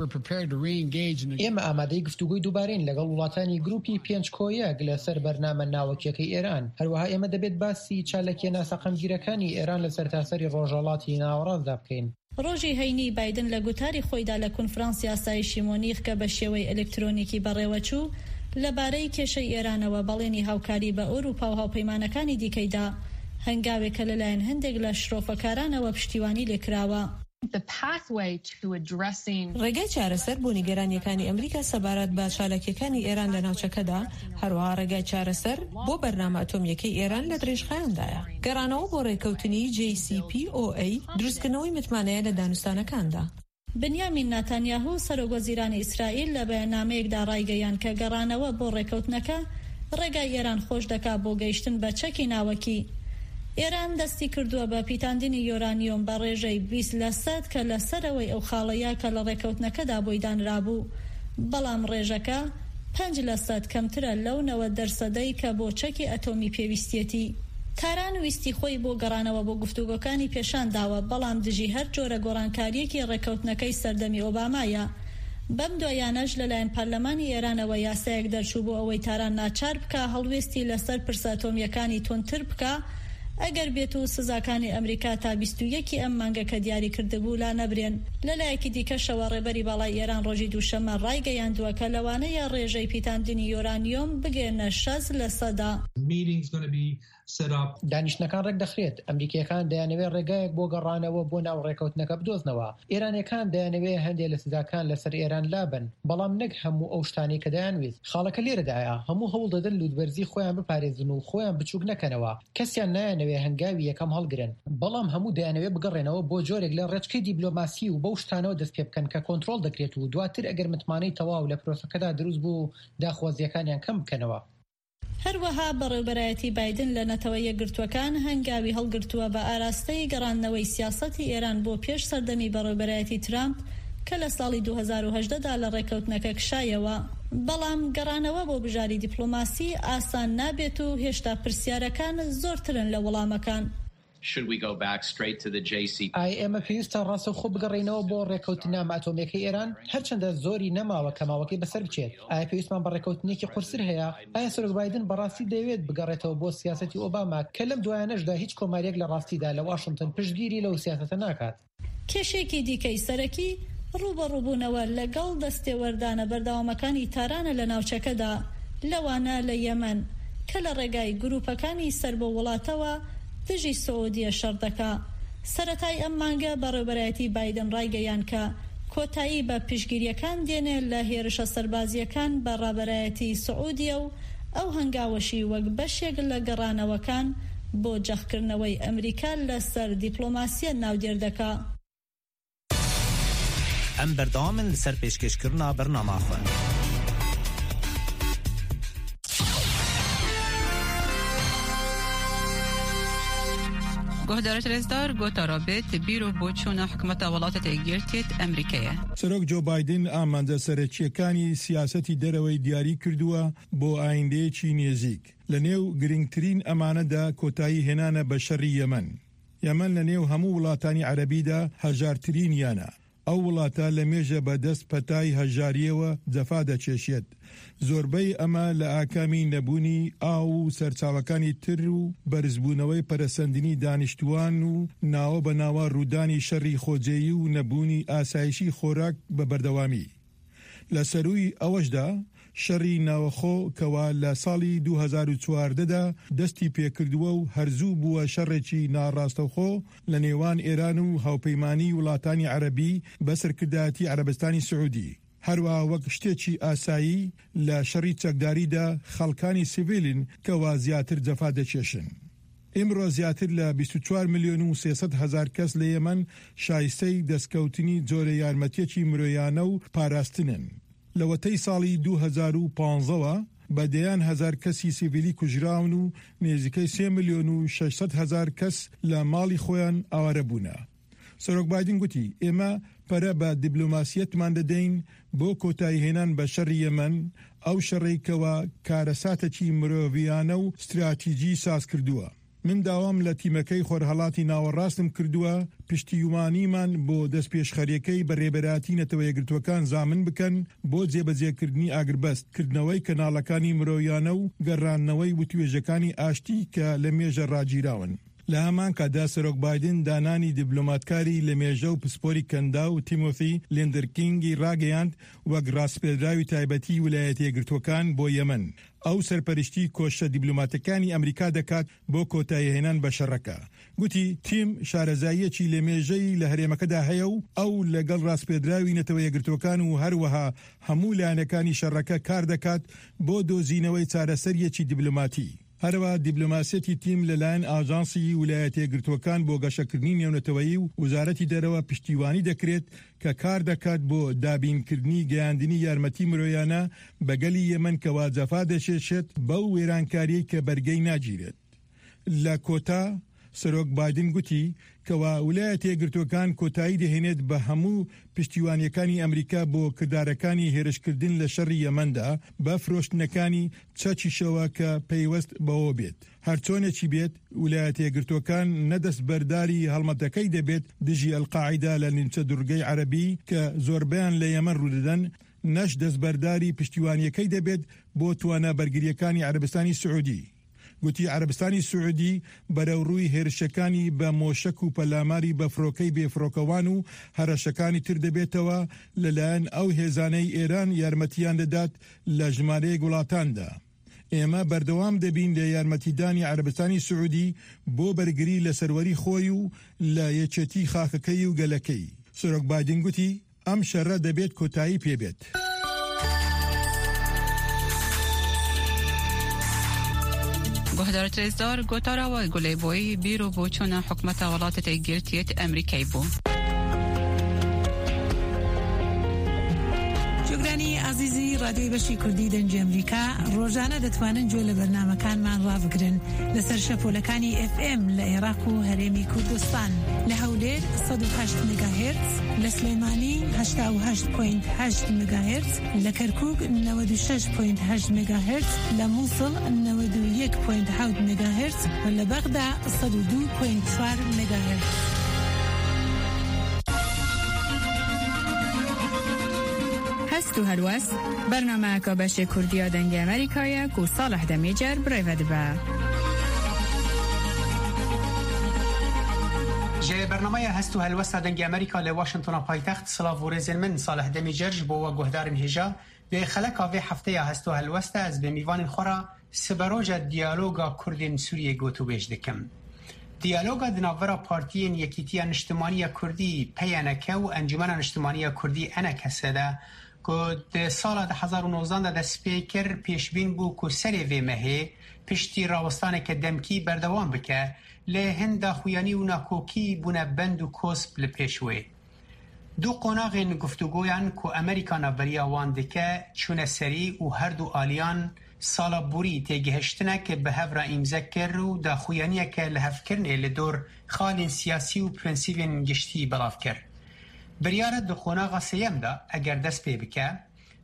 We're prepared to re-engage in the ئێمە ئامادەی گفتوگۆی دووبارەین لەگەڵ وڵاتانی گروپی پێنج کۆیەک لەسەر بەرنامە ناوەکیەکەی ئێران. هەروەها ئێمە دەبێت باسی چالاکیە ناسەقامگیرەکانی ئێران لە سەرتاسەری ڕۆژهەڵاتی ناوەڕاستدا بکەین. ڕۆژی هەینی بایدن لە گوتاری خۆیدا لە کونفرانسی ئاسایشی مۆنیخ کە بە شێوەی ئەلکترۆنیکی بەڕێوەچوو، لەبارەی کێشەی ئێرانەوە بەڵێنی هاوکاری بە ئەوروپا و هاوپەیمانەکانی دیکەیدا، هەنگاوێک کە لەلایەن هەندێک لە شرۆفەکارانەوە پشتیوانی لێکراوە. The pathway to addressing ڕێگای چارەسەر بۆ نیگەرانیەکانی ئەمریکا سەبارەت بە چالاکیەکانی ئێران لە ناوچەکەدا، هەروەها ڕێگای چارەسەر بۆ بەرنامە ئەتۆمیەکەی ئێران لە درێژخایەندایە. گەڕانەوە بۆ ڕێکەوتنی جەی سی پی ئۆ ئەی، دروستکردنەوەی متمانەیە لە دانوستانەکاندا. بنیامین ناتانیاهو، سەرۆک وەزیرانی ئیسرائیل، لە بەیاننامەیەکدا ڕایگەیاند کە گەڕانەوە بۆ ڕێکەوتنەکە ڕێگای ئێران خۆش دەکا بۆ گەیشتن بە چەکی ناوەکی. ئێران دەستی کردووە بە پیتاندنی یۆرانیۆم بە ڕێژەی بیست لە سەد کە لە سەرەوەی ئەو خاڵەیە کە لە ڕێکەوتنەکەدا بۆی دانرابوو. بەڵام ڕێژەکە پەنج لە سەد کەمترە لەو نەوەد دەرسەدەی کە بۆ چەکی ئەتۆمی پێویستیەتی. تاران ویستی خۆی بۆ گەڕانەوە بۆ گفتوگۆکانی پێشان داوە، بەڵام دژی هەر جۆرە گۆڕانکاریەکی ڕێکەوتنەکەی سەردەمی ئۆبامایە. بەم دوایانەش لەلایەن پەرلەمانی ئێرانەوە یاسایەک دەرچوو بۆ ئەوەی تاران ناچار بکا هەڵوێستی لەسەر پرسە ئەتۆمیەکانی توندتر بکا، ئەگەر بێت و سزاکانی ئەمریکا تا بیست و یەکی ئەم مانگە کە دیاری کردبوو لا نەبرێن. لەلایەکی دیکەشەوە ڕێبەری باڵای ئێران ڕۆژی دووشەممە ڕایگەیاندووە کە لەوانەیە ڕێژەی پیتاندنی یۆرانیۆم بگەێنە شەست لە سەدا. Meetings gonna be set up. دانیشتنەکان ڕێک دەخرێت. ئەمریکیەکان دەیانەوێت ڕێگایەک بۆ گەڕانەوە بۆ ناو ڕێکەوتنەکە بدۆزنەوە. ئێرانیەکان دەیانەوێت هەندێک لە سزاکان لەسەر ئێران لابن، بەڵام نەک هەموو ئەو شتانەی کە دەیانویست. خاڵەکە لێرەدایە، هەموو هەوڵ دەدەن لووتبەرزی خۆیان بپارێزن و خۆیان بچووک نەکەنەوە. کەسیان نایانەوێت هەنگاوی یەکەم هەڵگرن، بەڵام هەموو دەیانەوێت بگەڕێنەوە بۆ جۆرێک لە ڕێچکەی دیبلۆماسی و بەو شتانەوە دەست پێ بکەن کە کۆنترۆڵ دەکرێت و دواتر ئەگەر متمانەی تەواو لە پرۆسەکەدا دروست بوو، داخوازیەکانیان کەم بکەنەوە. هەروەها بەڕێوبەرایەتی بایدن لە نەتەوە یەکگرتووەکان هەنگاوی هەڵگرتووە بە ئاراستەی گەڕاندنەوەی سیاسەتی ئێران بۆ پێش سەردەمی بەڕێوبەرایەتی ترامپ کە لە ساڵی دوو هەزار و هەژدە دا لە ڕێکەوتنەکە کشایەوە. بەڵام گەڕانەوە بۆ بژاری دیپلۆماسی ئاسان نابێت و هێشتا پرسیارەکان زۆرترن لە وەڵامەکان. Should we go back straight to the J C P? ئایا ئێمە پێویستە ڕاستەوخۆ بگەڕێینەوە بۆ ڕێکەوتنامە ئەتۆمیەکەی ئێران؟ هەرچەندە زۆری نەماوە کە ماوەکەی بەسەر بچێت. ئایا پێویستمان بە ڕێکەوتنێکی قورسر هەیە؟ ئایا سەرۆک بایدن بەڕاستی دەیەوێت بگەڕێتەوە بۆ سیاسەتی ئۆباما، کە لەم دوایانەشدا هیچ کۆماریەک لە ڕاستیدا لە واشنگتن پشتگیری لەو سیاسەتە ناکات؟ کێشەیەکی دیکەی سەرەکی ڕوبەڕووبوونەوە لەگەڵ دەستێوەردانە بەردەوامەکانی تارانە لە ناوچەکەدا، لەوانە لە یەمەن، کە لە ڕێگای گروپەکانی سەر بۆ وڵاتەوە دژی سعودیە شەڕ دەکا. سەرەتای ئەم مانگە بەڕێوبەرایەتی بایدن ڕایگەیان کە کۆتایی بە پشگیریەکان دێنێ لە هێرشە سەربازیەکان بە ڕابەرایەتی سعودیە و ئەو هەنگاوەشی وەک بەشێک لە گەڕانەوەکان بۆ جەختکردنەوەی ئەمریکا لەسەر دیپلۆماسیە ناودێر دەکا. ئەم بەردەوامن لەسەر پێشکەشکردنا بەرنامە خۆن. Guhdarê rêzdar, gota rabê tibîr û boçûna hikûmeta Welatê Yekgirtiyê Amerîkeyê. سەرۆک جۆ بایدن ئامانجە سەرەکیەکانی سیاسەتی دەرەوەی دیاری کردووە بۆ ئایندەیەکی نێزیک. لە نێو گرنگترین ئەمانەدا کۆتایی هێنانە بە شەڕی یەمەن. یەمەن لە نێو هەموو وڵاتانی عەرەبیدا هەژارترین یانە. ئەو وڵاتە لە مێژە بە دەست پەتای هەژاریەوە جەفا دەچێشێت. زۆربەی ئەمە لە ئاکامی نەبوونی ئاو و سەرچاوەکانی تر و بەرزبوونەوەی پەرەسەندنی دانیشتووان و ناوە بە ناوە ڕوودانی شەڕی خۆجێیی و نەبوونی ئاسایشی خۆراک بە بەردەوامی. لە سەرووی ئەوەشدا، شەڕی ناوەخۆ کەوا لە ساڵی دوو هەزار و چواردە دا دەستی پێکردووە و هەرزوو بووە شەڕێکی ناڕاستەوخۆ لە نێوان ئێران و هاوپەیمانی وڵاتانی عەرەبی بە سەرکردایەتی عەرەبستانی سعودی. هەروەها وەک شتێکی ئاسایی لە شەڕی چەکداریدا خەڵکانی سیڤیلین کەوا زیاتر جەفا دەکێشن. ئیمڕۆ زیاتر لە بیست و چوار ملیۆن و سێ سەد هەزار کەس لە یەمەن شایستەی دەستکەوتنی جۆرە یارمەتیەکی مرۆیانە و پاراستنن. لەوەتەی ساڵی دوو هەزار و پانزەوە بە دەیان هەزار کەسی سیڤیلی کوژراون و نێزیکەی سێ ملیۆن و شەش سەد هەزار کەس لە ماڵی خۆیان ئاوارە بوونە. سەرۆک بایدن گوتی، ئێمە پەرە بە دیبلۆماسیەتمان دەدەین بۆ کۆتاییهێنان بە شەڕی یەمەن، ئەو شەڕەی کەوا کارەساتێکی مرۆڤیانە و استراتیجی ساز کردووە. من داوام لە تیمەکەی خۆرهەڵاتی ناوەڕاستم کردووە، پشتیوانیمان بۆ دەستپێشخەریەکەی بە ڕێبەراتی نەتەوە یەکگرتووەکان زامن بکەن بۆ جێبەجێکردنی ئاگربەست، کردنەوەی کەناڵەکانی مرۆیانە و گەڕاندنەوەی وتوێژەکانی ئاشتی کە لە مێژە ڕاگیراون. لە هەمان کاتدا سەرۆک بایدن دانانی دیبلۆماتکاری لە مێژە و پسپۆری کەندا و تیمۆثی لیندرکینگی ڕاگەیاند وەک ڕاستپێدراوی تایبەتی ویلایەتە یەکگرتووەکان بۆ یەمەن. ئەو سەرپەرشتی کۆشە دیبلۆماتەکانی ئەمریکا دەکات بۆ کۆتاییهێنان بە شەڕەکە. گوتی، تیم شارەزاییەکی لە مێژەی لە هەرێمەکەدا هەیە و ئەو لەگەڵ ڕاستپێدراوی نەتەوە یەکگرتووەکان و هەروەها هەموو لایەنەکانی شەڕەکە کار دەکات بۆ دۆزینەوەی چارەسەریەکی دیبلۆماتی. هەروەها دیبلۆماسیەتی تیم لەلایەن ئاژانسی ویلایەتە یەکگرتووەکان بۆ گەشەکردنی نێونەتەوەیی و وزارەتی دەرەوە پشتیوانی دەکرێت کە کار دەکات بۆ دابینکردنی گەیاندنی یارمەتی مرۆیانە بە گەلی یەمەن کەوا جەفا دەچێشێت بەو وێرانکاریەی کە بەرگەی ناگیرێت. لە کۆتا، سەرۆک بایدن گوتی کەوا ویلایەتە یەکگرتووەکان کۆتایی دەهێنێت بە هەموو پشتیوانیەکانی ئەمریکا بۆ کردارەکانی هێرشکردن لە شەڕی یەمەندا بە فرۆشتنەکانی چەکیشەوە کە پەیوەست بەوە بێت. هەرچۆنێکی بێت، ویلایەتە یەکگرتووەکان نە دەستبەرداری هەڵمەتەکەی دەبێت دژی ئەلقاعیدا لە نیمچە دوڕگەی عەرەبی کە زۆربەیان لە یەمەن ڕوودەدەن، نەش دەستبەرداری پشتیوانیەکەی دەبێت بۆ توانە بەرگریەکانی عەرەبستانی سعودی. گوتی، عەرەبستانی سعودی بەرەوڕووی هێرشەکانی بە مۆشەک و پەلاماری بە فڕۆکەی بێفڕۆکەوان و هەرەشەکانی تر دەبێتەوە لەلایەن ئەو هێزانەی ئێران یارمەتیان دەدات لە ژمارەیەک وڵاتاندا. ئێمە بەردەوام دەبین لە یارمەتیدانی عەرەبستانی سعودی بۆ بەرگری لە سەروەری خۆی و لە یەکێتی خاکەکەی و گەلەکەی. سەرۆک بایدن گوتی، ئەم شەڕە دەبێت کۆتایی پێبێت. Guhdarê rêzdar, gotara we guh lê bûyî bîr û boçûna hikûmeta Welatê Yekgirtiyê Amerîkayê bû. گوێگرانی ئازیزی ڕادیۆی بەشی کوردی دەنگی ئەمریکا، ڕۆژانە دەتوانن گوێ لە بەرنامەکانمان ڕابگرن لەسەر شەپۆلەکانی ئێف ئێم لە عێراق و هەرێمی کوردستان، لە هەولێر سەد و هەشت مێگاهێرتز، لە سلێمانی هەشتا و هەشت پۆینت هەشت مێگاهێرتز، لە کەرکووک نەوەد و شەش پۆینت هەشت مێگاهێرتز، لە مووسڵ نەوەد و یەک پۆینت حەوت مێگاهێرتز و لە بەغدا سەد و دوو پۆینت چوار مێگاهێرتز. هەست و هەلوەست، بەرنامەیەکە بەشێ کوردیە دەنگی ئەمریکایە و ساڵح دەمیجەر برێڤە دبە. Ji bernameya Hest û Helwesta Dengê Amerîka li Washingtona paytext, silav û rêzên min, Salih Demîcer ji bo we guhdarên hêja. Di xeleka vê hefteya Hest û Helwesta ez bi mîvanên xwe re siberoja diyaloga Kurdên Sûriyê gotûbêj dikim. Diyaloga di navbera partiyên Yekîtiya Niştimaniya Kurdî, P Y N K, û Encûmena Niştimaniya Kurdî, E N K S, de, ku di sala du hezar û nozdan de dest pê kir, pêşbîn bû ku serê vê mehê, piştî rawistaneke demkî, berdewam bike, lê hin daxuyanî û nakokî bûne bend û kosp li pêş wê. Du qonaxên guftûgoyan ku Amerîka navberiya wan dike, çûne serî û her du aliyan sala borî têgihiştinek bi hev re îmze kir û daxuyaniyeke lihevkirinê li dor xalên siyasî û prensîbên giştî belav kir. Biryar e di qonaxa sêyem de, eger dest pê bike,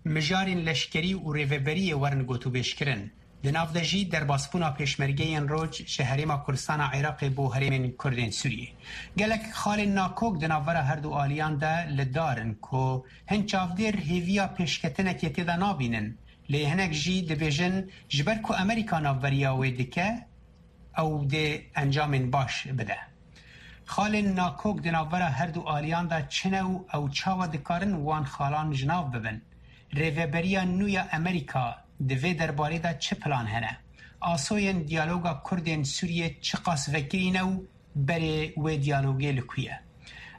mijarên leşkerî û rêveberiyê werin gotûbêjkirin. Di nav de jî derbasbûna pêşmergeyên roj ji Herêma Kurdistana Iraqê bo herêmên Kurdên Sûriyê. Gelek xalên nakok di navbera her du aliyan de li dar in ku hin çavdêr hêviya pêşketinekê tê de nabînin, lê hinek jî dibêjin, ji ber ku Amerîka navberiya wê dike, ew dê encamên baş bide. Xalên nakok di navbera her du aliyan de çi ne û ew çawa dikarin wan xalan ji nav bibin? Rêveberiya nû ya Amerîka di vê derbarê de çi plan hene? Asoyên diyaloga Kurdên Sûriyê çiqas vekirî ne û berê wê diyalogê li ku ye?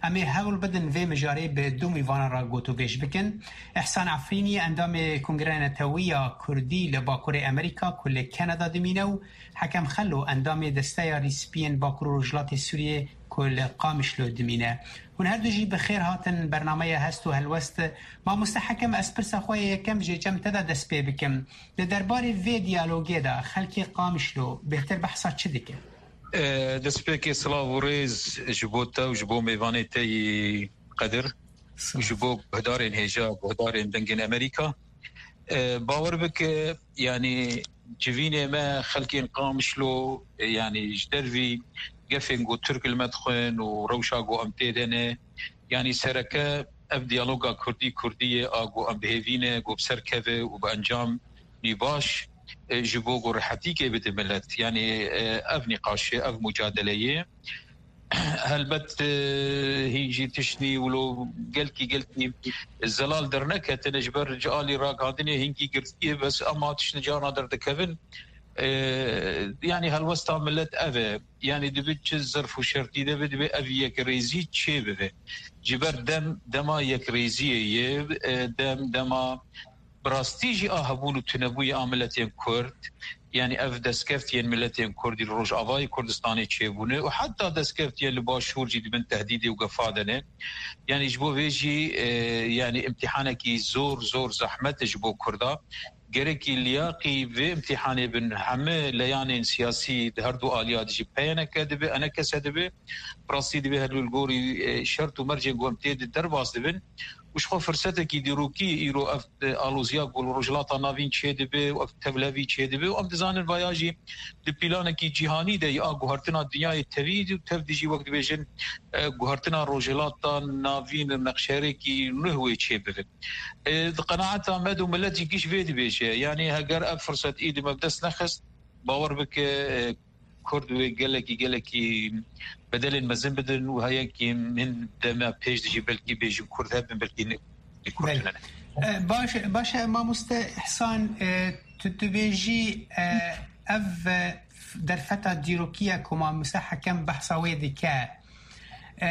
Em ê hewl bidin vê mijarê bi du mîvanan re gotûbêj bikin. Îhsan Efrînî, endamê Kongreya Netewî ya Kurdî li Bakurê Amerîka ku li Kanada dimîne, û Hekem Xelo, endamê Desteya Rîspiyên Bakur û Rojhilatê Sûriyê ku li Qamişlo dimîne. Hûn her du jî bi xêr hatin bernameya Hest û Helwest. Mamoste Hekem, ez pirsa xwe yê yekem jê cem te de dest pê bikim. Li derbarê vê diyalogê de xelkê Qamişlo bêhtir behsa çi dike? E, destpêkê silav û rêz ji bo te û ji bo mêvanê te yî qedir û ji bo guhdarên hêja, guhdarên Dengên Amerîka. E, bawer bike, yanî civînê me xelkên Qamişlo, e, yanî ji dervî gefên ku Tirk li me dixwin û rewşa ku em tê de ne, yanî sereke ev diyaloga Kurdî Kurdî ye, a ku em bi hêvî ne ku bi ser keve û bi encamî baş, e, ji bo ku rehetîkê bide milet. Yanî, e, ev nîqaş e, ev mucadele ye. Helbet, e, hîn jî tiştî wilo gelkî, gelkî zelal derneketine ji ber ji alî ragihandinê hingî girtî ye, bes ema tiştî carna derdikevin. E, yanî helwesta milet ev e. Yanî dibe çi zerf û şertî de be, dibe ev yekrêzî çê bibe. Ji ber dem, dema yekrêziyê ye, e, dem, dema bi rastî jî a hebûn û tunebûyê a miletên Kurd, yanî ev destkeftiyên miletên Kurdî li Rojavayê Kurdistanê çêbûne û heta destkeftiyên li Başûr jî di bin tehdîdê û gefa de ne. Yanî ji bo vê jî, e, yanî imtîhanekî zor, zor zehmet e ji bo Kurda. Gerekî liyaqî vê imtîhanê bin heme leyanên siyasî di her du aliya de jî P Y N K dibe, E N K S dibe. Bi rastî dibe her du li gorî, e, şert û mercên ku em tê de derbas dibin. Û ji xwe firsetekî dîrokî îro ev, e, aloziya ku li Rojhilata Navîn çêdibe û ev tevlevî çêdibe û em dizanin vaya jî di pîlanekî cîhanî de ya guhertina dinyayê tevî û tev dijî wek dibêjin, e, guhertina Rojhilata Navîn li nexşerekî nuh wê çêbibe. E, di qenaeta me de û milet jî giş vê dibêje. Yanî heger ev firset îdî me bi dest nexist, bawer bike, e, Kurd wê gelekî, gelekî bedelên mezin bidin û heyekî min dema pêş de jî belkî bêjin Kurd hebin, belkî ne, Kurd Belê. tune ne. E, baş, baş e, mamoste Îhsan, e, Tu dibêjî, e, ev, e, derfeta dîrokî ye ku Mamoste Hekem behsa wê dike. E,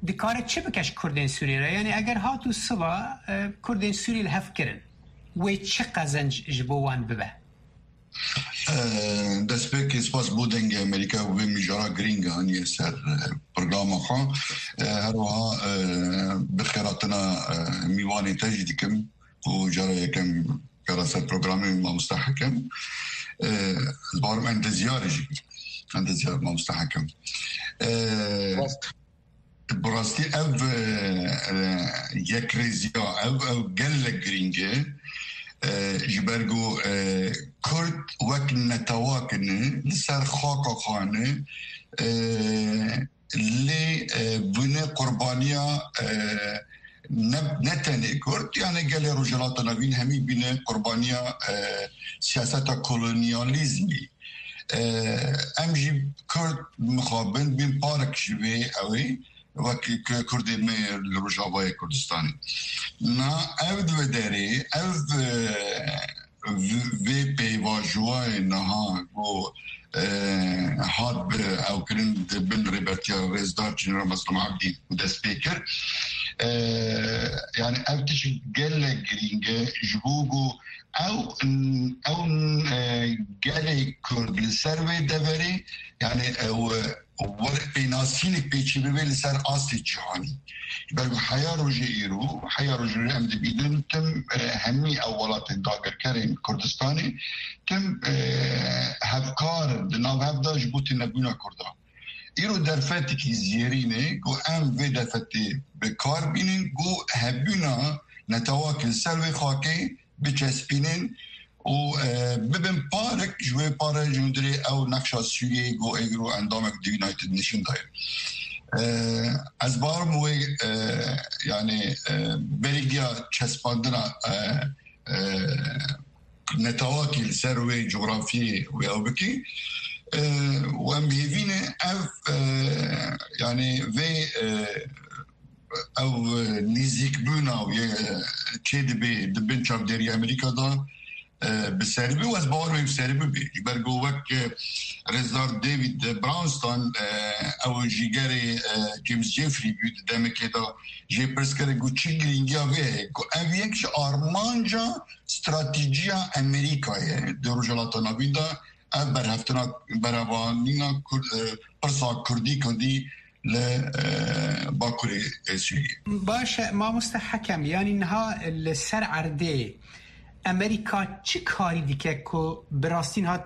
dikare çi bike ji Kurdên Sûriyê re? Yanî eger hat û siva, e, Kurdên Sûrî li hev kirin, wê çi qezenc ji bo wan bibe? Destpêkê spas bo Dengê Amerîka û vê mijara girîng aniye ser programa xwe. Her wiha bi xêratina mîvanê te jî dikim û cara yekem kara ser programê Mamoste Hekem. Ez barim endezyarê jî, endezyar Mamoste Hekem. Bi rastî ev yekrêziya, ev ew gelek girîng e. Ji ber ku Kurd wek netewak ne, li ser xaka xwe ne, lê bûne qurbaniya ne, ne tenê Kurd, yani gelê Rojhilata Navîn hemî bîne qurbaniya siyaseta kolonyalîzmî. Em jî Kurd mixabin bin parek ji vê ew ê, wek Kurdê me li Rojavayê Kurdistanê. Na ev di vê derê, ev vê pêvajoyê niha ku hat bi ewkirin di bin rêbertiya Rêzdar General Meslûm Ebdî dest pê kir. Yani ev tişt gelek girîng e ji bo ku ew, ew gelê Kurd li ser vê deverê, yani ew were pênasînek pêçî bibe li ser astê cîhanî. Ji ber ku heya rojê îro, heya rojê îro em dibînin tim hemî ew welatên dagirkerên Kurdistanê tim hevkar in di nav hev de ji bo tênebûna Kurdan. Îro derfetekî zêrîn e ku em vê derfetê bi kar bînin ku hebûna netewakê li ser vê xakê biçespînin û bibin parek ji wê pare ji hundirê ew nexşa Sûriyeyê ku êgro endamek di United Nation de ye. Ez barim wê, yani, berî giya çespandina netewakî li ser wê cografiyê wê ew bikî. Û em hêvî ne ev, yani vê ew nîzîkbûna wê çê dibe di bin çavdêriya Amerîka de bi ser bi û ez bawer me bi ser bibe. Ji ber ku wek Rêzdar David Brownston, ew jîgerê James Jeffrey bû di demekê de jê pirs kirin ku çi girîngiya vê heye ku ev yek ji armanca stratejiya Amerîkayê di Rojhilata Navîn de ev berheftina berevanîna Kurd, pirsa Kurdî Kurdî li Bakurê Sûriyê. Baş e, Mamoste Hekem, yanî niha li ser erdê Amerîka çi karî dike ku bi rastî niha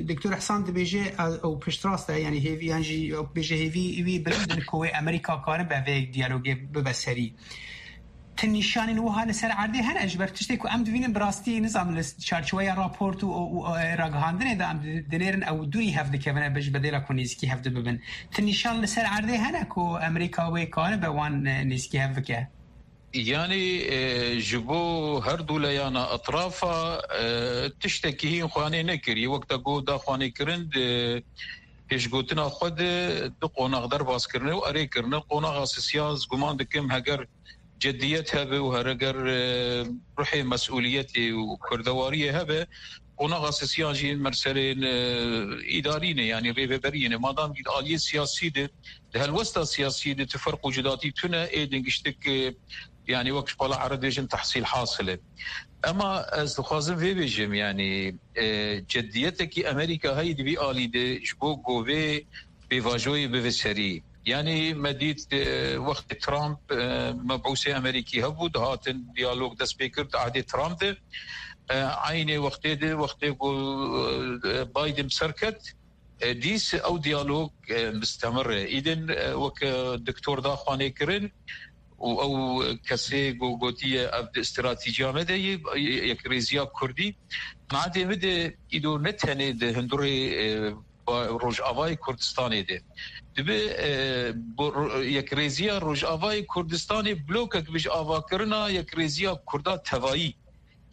Doktor Ehsan dibêje ew piştrast e, yanî hêvî, yan jî bêje hêvî wî bilind in ku wê Amerîka karibe vê diyalogê bibe serî. Ti nîşanên wiha li ser erdê hene, ji ber tiştê ku em dibînin bi rastî nizam li çarçoweya raport û, û, û, e, ragihandinê de em di-, dinêrin ew dûrî hev dikevine bi-, ji bedêla ku nêzîkî hev dibibin. Ti nîşan li ser erdê hene ku Amerîka wê karibe wan, e, nêzîkî hev bike? Yanî, e, ji bo her du leyana etrafa, e, tiştekî hîn xwanê nekiriye. Wek te got da xwanê kirin di pêşgotina xwe de du qonax derbas kirine û erê kirine. Qonaxa sisiya ez guman dikim heger cidiyet hebe û hereger, e, ruhê mesûliyetê û kurdewariyê hebe, qonaxa sisiyan jî merserên, e, îdarî ne, yanî rêveberiyê ne. Madam jî di aliyê siyasî de, di helwesta siyasî de tu ferq û cudatî tune, ê din giştik, e, yanî wek ji pala ereb dibêjin tehsîl hasil e. Ema ez dixwazim vê bêjim, yanî, e, cediyetekî Amerîka heyî di vî alî de ji bo govê pêvajoyê bive serî. Yanî me dît, e, wextê Trump, e, mebûsê Amerîkî hebû, dihatin diyalog dest pê kir di ehdê Trump de. E, eynê wextê de, wextê ku, e, Biden bi ser ket, e, dîs ew diyalog, e, mistemir e. Îdin, e, wek, e, doktor da xwanê kirin û ew kesê ku gotiye ev di stratejiya me de ye, yekrêziya Kurdî. Nadê min de îdo ne tenê di hindurê, e, ba-, Rojavayê Kurdistanê de. Dibe, e, bo-, ro-, yekrêziya Rojavayê Kurdistanê blokek bi ji avakirina yekrêziya Kurda tevayî.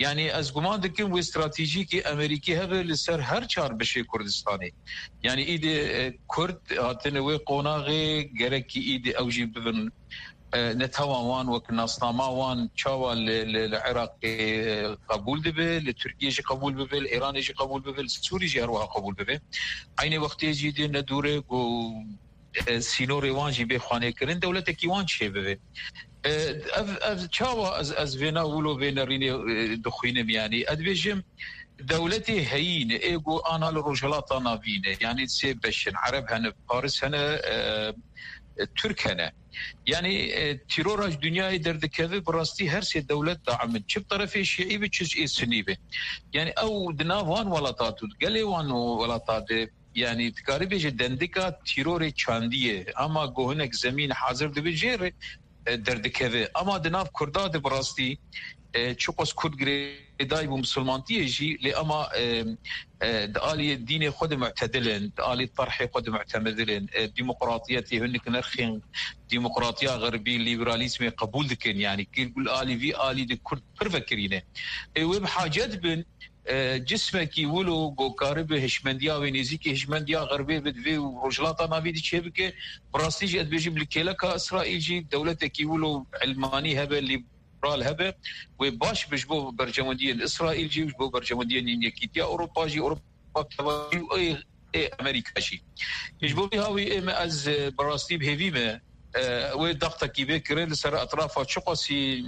Yanî ez guman dikim wê stratejîkê Amerîkî hebe li ser her çar beşê Kurdistanê. Yanî îdî, e, Kurd hatine wê qonaxê, gerekî îdî ew jî bibin e, netewa wan, wek nasnama wan çawa li, li, li Iraqê, e, qebûl dibe, li Tirkiyê jî qebûl bibe, li Îranê jî qebûl bibe, li Sûrî jî her wiha qebûl bibe. Eynê wextê jî dê nedûre ku, e, sînorê wan jî bê xwanêkirin, dewletekî wan çêbibe. E, ev, ev çawa ez, ez vêna wilo vê nerînê, e, dixwînim, yanî ez dibêjim, dewletê heyîn ê ku ana li Rojhilata Navîn e, yanî sê beş in, Ereb hene, Faris hene, e, e, Tirk hene. Yanî, e, tîrora ji dinyayê derdikeve, bi rastî her sê dewlet daim in. Çi bi terefê şîî bi, çi ji ê sunî bi. Yanî ew di nav wan welata tu, gelê wan welata de, yanî dikarî bêje dendika tîrorê çandî ye. Ama ku hinek zemîn hazir dibe jê re, e, derdikeve. Ama di nav Kurda de bi rastî, e, çiqas Kurd girêdayî bû misilmantiyê jî, lê ama, e, e, di aliyê dînê xwe de mu'tedil in, di alî terhê xwe de mu'temedil in, e, demokratiyetê hinek nirxên demokratiya xerbî, liberalîzmê qebûl dikin. Yanî kir gul alî vî alî de Kurd pir vekirî ne. Ê wê bi hacet bin, e, cismekî wilo ku karibe hişmendiya wê nêzîkî hişmendiya xerbê be, divê û Rojhilata Navî de çêbike. Bi rastî jî ez dibêjim li kêleka Îsraîl jî dewletekî wilo ilmanî hebe, lîberal hebe, wê baş be ji bo berjewendiyên Îsraîl jî û ji bo berjewendiyên Yekîtiya Ewropa jî, Ewropa bi tevahî û ê, ê Amerîka jî. Ji bo vî hawî ê me ez, e, bi rastî bi hêvî me, e, wê daxtekî bê kirin li ser etrafa çiqasî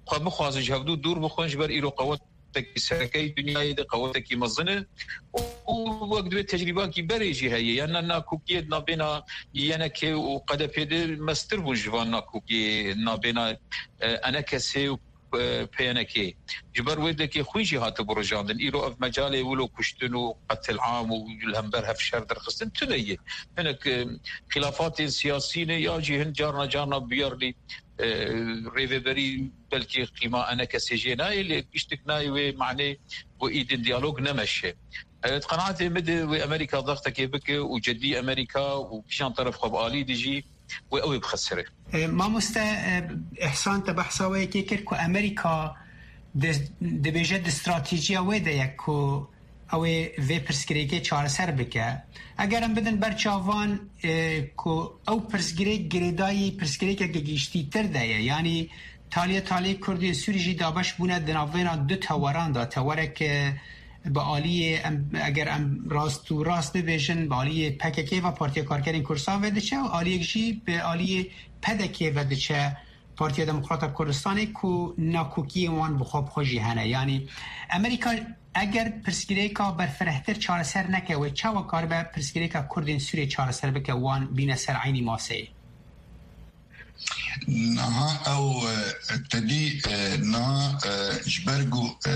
xwe bixwazin ji hevdû dûr bixwin, ji ber îro qewet qewetekî sereke yê dinyayê de, qewetekî mezin e û wek divê tecrîbakî berê jî heye. Yan na nakokiyê di navbêna Y N K û H D P de mestir bûn ji van nakokiyê navbêna, e, E N K S û, e, P N K. Ji ber wê dekê xwîn jî hatibû rijandin. Îro ev mecalê wilo kuştin û qetilam û li hember hev şer derxistin tune ye. Hinek, e, xilafatên siyasî ne ya jî hin carna carna biyarlî, e, rêveberî belkî qîma E N K S jê nayê, lê giştik nayê wê manê ku îdin diyalog nemeşe. E, di qenaetê min de wê Amerîka daxtekê bike û cedî Amerîka û kîjan teref xwe bi alî dijî wê ew ê bixisire. E, mamoste, e, Îhsan, te behsa wê yekê kir ku Amerîka di-, dibêje di stratejiya wê de ye ku ew ê vê pirsgirêkê çareser bike. Eger em bidin ber çavan, e, ku ew pirsgirêk girêdayî pirsgirêkeke giştîtir de ye. Yanî taliyê taliyê Kurdên Sûrî jî dabeş bûne di navbêna du teweran de. Tewerek, e, bi aliyê em, eger em rast û rast bibêjin, bi aliyê P K K ve, Partiya Karkerên Kurdistan ve diçe û aliyek jî bi aliyê P D K ve diçe. Partiya Demokrata Kurdistanê ku nakokiyên wan bi xwe bi xwe jî hene. Yanî Amerîka eger pirsgirêka berfirehtir çareser neke, wê çawa karibe pirsgirêka Kurdên Sûriyê çareser bike, wan bîne ser eynî maseyê? Niha ew, e, tedî, e, niha, e, ji ber ku, e,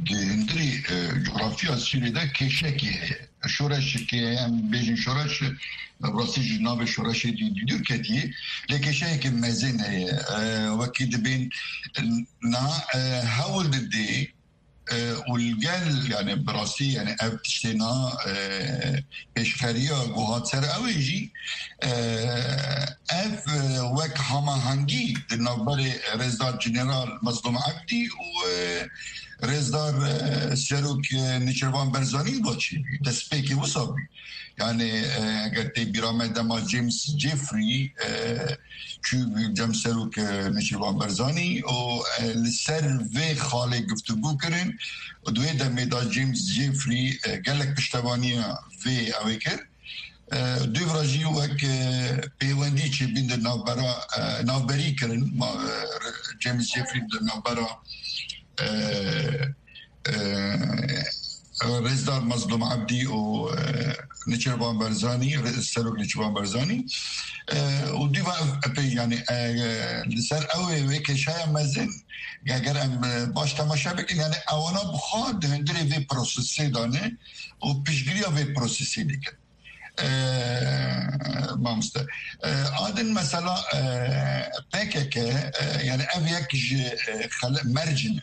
di hundirî, e, coğrafya Sûriyê de kêşekî heye. Şoreşekê heye, em bêjin şoreş, e, bi rastî ji navê şoreşê dî, dî dûr ketiye. Lê kêşeyeke mezin heye. E, wekî dibên, e, niha, e, hewl didê, e, û li gel, yani bi rastî, yani ev tiştê na, e, pêşxeriya ku hat ser ew ê jî, e, ev, e, wek hamahengî di navberê Rêzdar General Mezlûm Ebdî û, e, Rêzdar, e, Serok, e, Nêçîrvan Barzanî ve çêbî, destpêkê wisa bî. Yani, e, eger tê bîra me dema James Jeffrey, e, çû cem serok, e, Nêçîrvan Barzanî û, e, li ser vê xalê guftûgû kirin û di wê demê de James Jeffrey, e, gelek piştevaniya vê ew ê kir. E, dûvra jî wek, e, pêwendî çêbîn di navbera, e, navberî kirin. Ma, e, James Jeffrey di navbera, e, e, Rêzdar Mazlûm Ebdî û, e, Nêçîrvan Barzanî, Rê-, Serok Nêçîrvan Barzanî, e, û dîva ev epey, yani, e, li ser ew ê wê kêşeya mezin, eger em, e, baş temaşe bikin, yani, ewana bi xwe di hundirê vê prosesê de ne û piştgiriya vê prosesê dikin. E, mamoste. E, a din mesela, e, P K K, e, yani ev yek ji, e, xele-, merc in.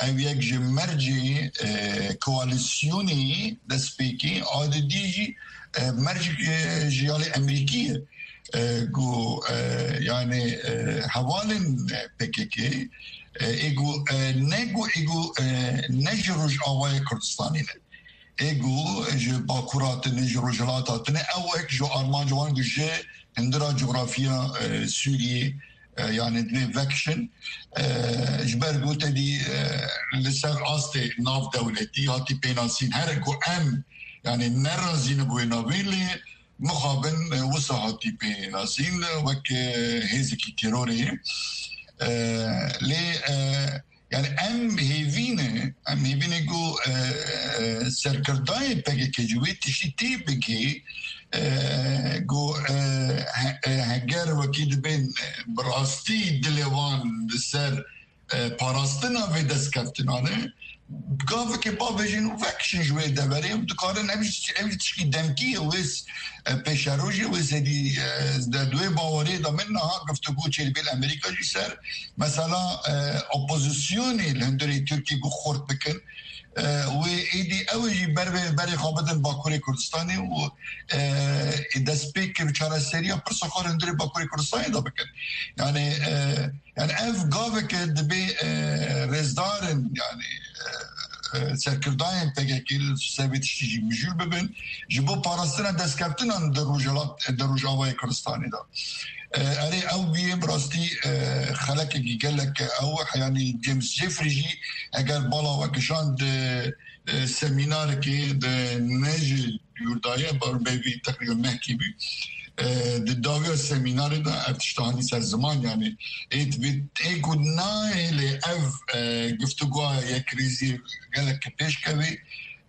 Ev yek ji mercê, e, koalîsyonê destpêkê, a didî jî, e, merc, e, ji alî Emerîkî ye. E, ku, e, yani, e, hevalên P K K, e, ê ku, e, ne ku, ê ku, e, ne ji Rojavayê Kurdistanê ne. Ê ku ji Bakur hatine, ji Rojhilat hatine, ew wek ji armanc wan ku ji hindira coğrafya, e, Sûriyê, e, yani divê vekişin, e, ji ber ku te dî, e, li ser astê navdewletî hatî pênasîn, her ku em, yani nerazî ne bi wê navê lê mixabin, e, wisa hatî pênasîn wek, e, hêzekî terorê. E, lê, e, yani em hêvî ne, em hêvî ne ku, e, e, serkirdayê P K K ji wê tiştî tê bigê, e, ku, e, he-, e, heger wekî dibên, e, bi rastî dilê wan li ser, e, parastina vê destkeftinan e, gaveke bavêjin û vekişin ji wê deverê û dikarin ev jî, ev jî tişkî demkî ye wê s-, e, pêşerojê wê sedî, e, de di wê bawerê de min niha guftûgû çêdibê li Amerîka jî ser mesela, e, opozisyonê li hundirê Tirkiyê ku xurt bikin. E, wê êdî ew jî ber vê, berê xwe bidin Bakurê Kurdistanê û, e, destpêk bi çareseriya pirsa xwe li hundirê Bakurê Kurdistanê de bikin. Yani, e, yani ev gaveke dibê, e, rêzdarin, yani, e, e, serkirdayên P K K li ser vê tiştî jî mijûl bibin, ji bo parastina destkeftinan di Rojhilat, di Rojavayê Kurdistanê de. E, erê ew bûye bi rastî, e, xelekekî gelek ew, yani James Jeffrey jî eger bala we kişand, e, e, semînarekê di ne ji Yûrdaye bar bevî teqrîben mehkî bû. E, di dawiya semînarê de ev tişta hanî ser ziman, yani ê dibê ê ku nahêlê ev, e, guftûgoya yekrêzî gelek pêş kevê,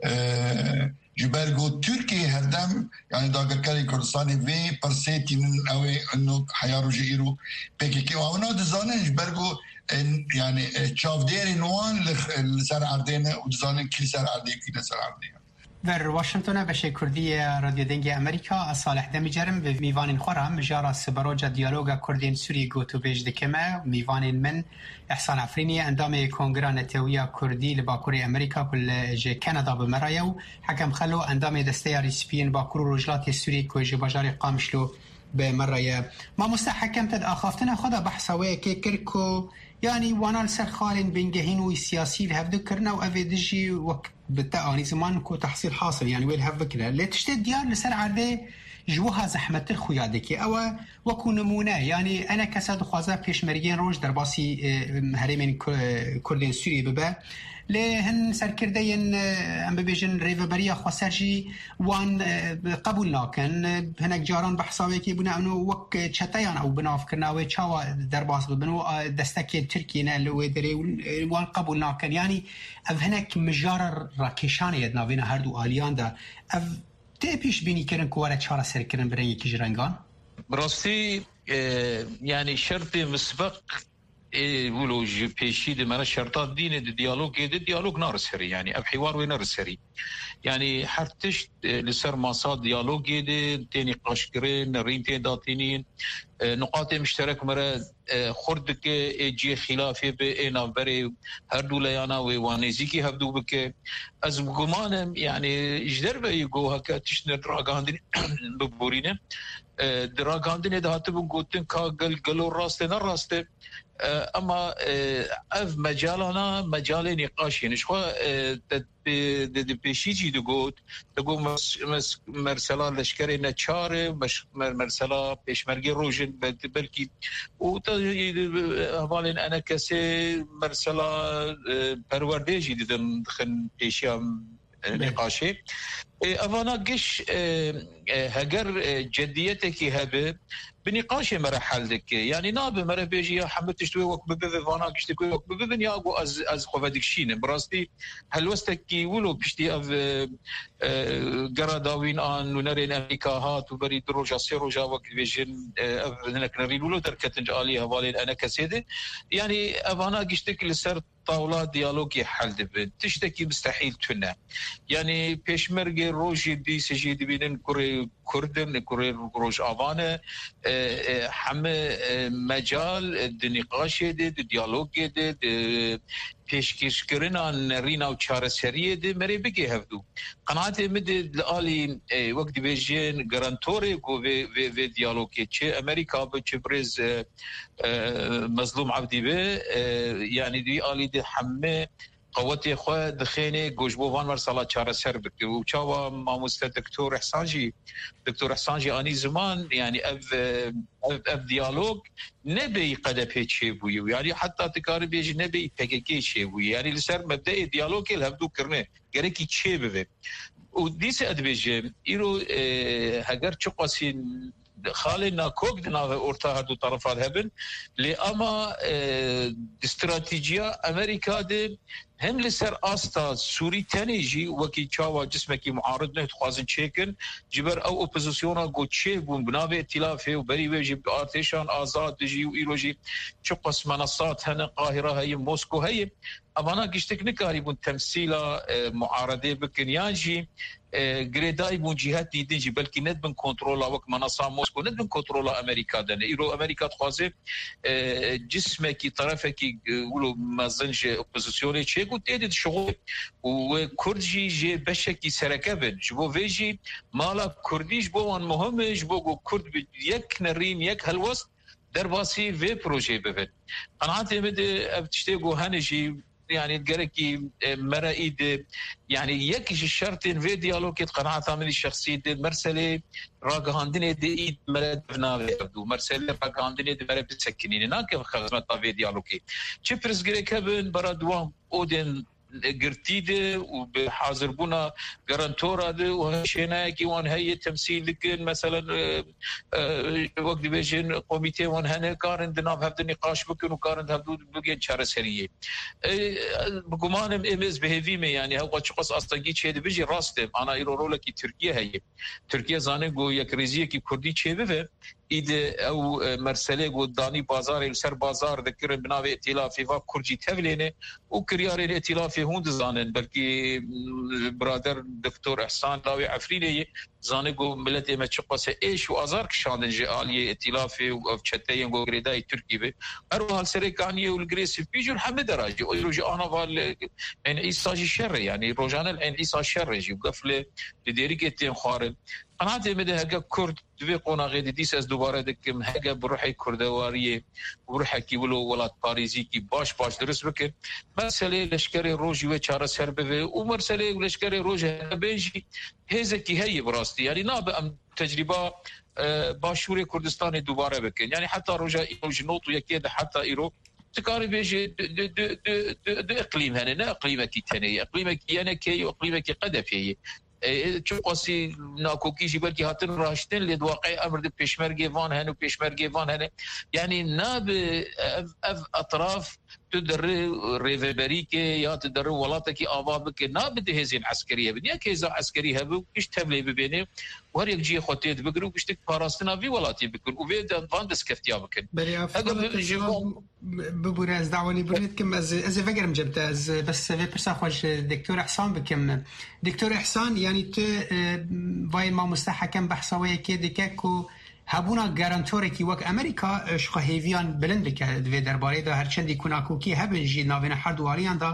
e, ji ber ku Tirkiye herdem, yani dagirkerên Kurdistanê vê pirsê tînin ew ê ino heya rojê îro P K K û ewna dizanin ji ber ku, e, yani, e, çavdêrên wan li, li ser erdê ne û dizanin kî li ser erdê kî ne ser erdê. Ver Washingtona beşê Kurdî ya Radyo Dengê Amerîka, ez Salih Demîcer im, bi mîvanên xwe re mijara siberoca diyaloga Kurdên Sûrî gotûbêj dikime. Mîvanên min Ehsan Efrînî, endamê Kongira Netewiya Kurdî li Bakurê Amerîka ku li, ji Kanada bi me re ye û Hekem Xelo, endamê Desteya Rîspiyên Bakur û Rojhilatê Sûrî ku ji bajarê Qamişlo bi me re ye. Mamoste Hekem, te di axaftina xwe de behsa wê yekê kir ku, yanî wana li ser xalên bingehîn û siyasî li hevdu kirine û ev ê dijî wek bi te anî ziman ku tehsîl hasil, yanî wê li hev bikire. Lê tiştê diyar li ser erdê ji wiha zehmettir xuya dike. Ew e wekû nimûne, yanî enekese dixwaze pêşmergeyên roj derbasî, e, herêmên Ku-, Kurdên Sûriyê bibe. Lê hin serkirdeyên, e, em bibêjin rêveberiya xweser jî wan, e, qebûl nakin. Hinek caran behsa wê yekê bûne, em wek çeteyan ew bi nav kirina wê çawa derbas bibin û, e, destekên Tirkiyê ne li wê derê û, e, wan qebûl nakin. Yanî ev hinek mijara rakêşanê ye di navêna her du aliyan de. Ev tê pêşbînî kirin ku were çareserkirin bi rengekî ji rengan? Bi rastî, e, yanî şertê misbeq ê wilo ji pêşî di me re şerta dînê di diyalogê de diyalog nariserî. Yanî ev hîwar wê neriserî. Yanî her tişt, e, li ser masa diyalogê de tê nîqaşkirin, rîn tê datînîn, e, nuqatê mişterek me re, e, xurt dike, ê cihê xîlafê bi, ê navberê her du leyana wê wan nêzîkî hevdu bike. Ez bi guman im, yanî ji derveyî ku heke tişt ne ragihandinê biborîne, e, di ragihandinê de hatibû gotin ka gel, gelo rast e, ne rast e. E, ema, e, ev mecalana mecalê nîqaşê ne. Ji xwe, e, te pê-, di, di pêşî jî digot, digot mes-, mes-, mersela leşkerê neçar e, meş-, mer-, mersela pêşmergê roj in, bel-, belkî û te, e, hevalên enekesê mersela, e, perwerdê jî didin, dixin pêşiya, e, Belê. nîqaşê. E, evana giş, e, e, heger, e, cediyetekî hebe, bi nîqaşê me re hel dike. Yanî nabe me re bêjî ya hemû tişt wê wek bibe, vana giştî wê wek bibin ya ku ez, ez xwe vedikişînim. Bi rastî helwestekî wilo piştî ev, e, e, gera dawîn a nûnerên Amerîka hat û berî du roja, sê roja wek dibêjin, e, ev hinek nerîn wilo derketin ji alî hevalên enekesê de. Yanî evana giştik li ser tawla diyalogê hel dibin. Tiştekî mistehîl tune. Yanî pêşmergê rojê dîsê jî dibînin kurê Kurd in, kurê Rojava ne. E, e, heme, e, mecal, e, di nîqaşê de, di diyalogê de, di pêşkêşkirina nerîna û çareseriyê de merê bigê hevdû. Qenaetê min de li alî, e, wek dibêjin garantorê ku vê, vê, vê diyalogê çi Amerîka bi, çi birêz, e, e, Mezlûm Evdî bi, e, yanî di alî de heme qewetê xwe dixêne ku ji bo van mersala çareser bike. Û çawa mamoste Doktor Ehsan jî, Doktor Ehsan jî anî ziman, yanî ev, ev, ev diyalog nebêyî Q D P çêbûyî û yanî heta tu karî bêjî nebêyî P K K çêbûyî. Yanî li ser mebdeyê diyalogê li hevdû kirine gerekî çêbibe. Û dîse ez dibêjim, îro, e, heger çiqasî xalê nakok di navê orta her du terefan hebin, lê ama, e, di stratejiya Amerîka de hem li ser asta Sûrî tenê jî wekî çawa cismekî muarid ne dixwazin çêkin, ji ber ew opozisyona ku çêbûn bi navê îtîlafê û berî wê jî bi artêşan azad dijî û îro jî çiqas menasat hene, Qahira heye, Mosko heye. Evana giştik nikarîbûn temsîla, e, muaredê bikin, yan jî, e, girêdayî bûn cîhetî din jî, belkî ne dibin kontrola wek menasa Mosko, ne dibin kontrola Amerîka de ne. Îro Amerîka dixwaze, e, cismekî, terefekî, e, wilo mezin ji opozisyonê çêk û tê de dişixulê. Û wê Kurd jî jê beşekî sereke bin. Ji bo vê jî mala Kurdî ji bo wan muhim e, ji bo ku Kurd bi yek nerîn, yek helwest derbasî vê projeyê bibin. Qenaetê min de ev tiştê ku hene jî, yanî gerekî, e, mere î de, yanî yek ji şertên vê diyalogê di qenaeta min şexsî de merselê ragihandinê de î mere dev navê ev dû. Merselê ragihandinê de mere bisekinîne. Nake xizmeta vê diyalogê. Çi pirsgirêk hebin, bera di wan odên girtî de û bi hazirbûna garantora de û şênayekî wan heye temsîl dikin. Meselen, e, e, wek dibêjin komîtê wan hene, karin di nav hev de nîqaş bikin û karin di hevdû bigên çareseriyê. E, bi gumanim êm ez bi hêvî me, yanî hewqa çiqas astengî çêdibe jî rast e. Ana îro rolekî Tirkiye heye. Tirkiye zane ku yekrêziyekî Kurdî çêbibe, îdî ew, e, merselê ku danî bazarê li ser bazar dikirin bi navê îtîlafê va Kurd jî tevlêne û kiryarên îtîlafê hûn dizanin. Belkî, m, birader Doktor Ehsan lawê Efrînê ye, zane ku miletê me çiqas e êş û azar kişandin ji aliyê îtîlafê û ev çeteyên ku girêdayî Tirkî be. Her wiha li Serê Kaniyê û li Girê Spî jî û hemî dera jî. Îro jî ana va li Eyn Îsa jî şer e, yanî rojane li Eyn Îsa şer e jî û gef li, li Dêrikê tên xwarin. Qenaetê min de heke Kurd di vê qonaxê de dîs ez dubare dikim, heke bi ruhê kurdewariyê û ruhekî wilo welatparêzîkî baş baş dirust bikin, meselê leşkerê rojî wê çareser bibe û meselê leşkerê rojê heke bên jî hêzekî heye bi rastî. Yanî nabe em tecrîba, e, Başûrê Kurdistanê dubare bikin. Yanî heta roja îro ji nod û yekê de heta îro tu karî bêjî du, du, du, du, du, du iqlîm hene, ne iqlîmekî tenê ye. Iqlîmekî Y N K ye û iqlîmekî Q D P ye. E, çiqasî nakokî jî belkî hatin raştin, lê di waqeyê emir de pêşmergê van hene û pêşmergê van hene. Yanî nabe ev, ev etraf tu derê rêveberîkê ya tu derê welatekî ava bike, nabe di hêzên eskerî hebin. Yek hêza eskerî hebe û giş tevlê bibêne û her yek cihê xwe tê dibigire û giştik parastina vî welatî bikin û vê de van destkeftîya bikin. Belê, Heger Afgan bi-, Tejeran, bibûre, ez dawanî birî dikim, ez, ez ê vegerim cem te, ez bes vê pirsa xwe ji Doktor Ehsan bikim. Doktor Ehsan, yanî tu, e, vayê mamoste Hekem behsa wê yekê dike ku hebûna garantorekî wek Amerîka, e, ji xwe hêviyan bilind dike di vê derbarê de, her çendî ku nakokî hebin jî navêna her du aliyan de,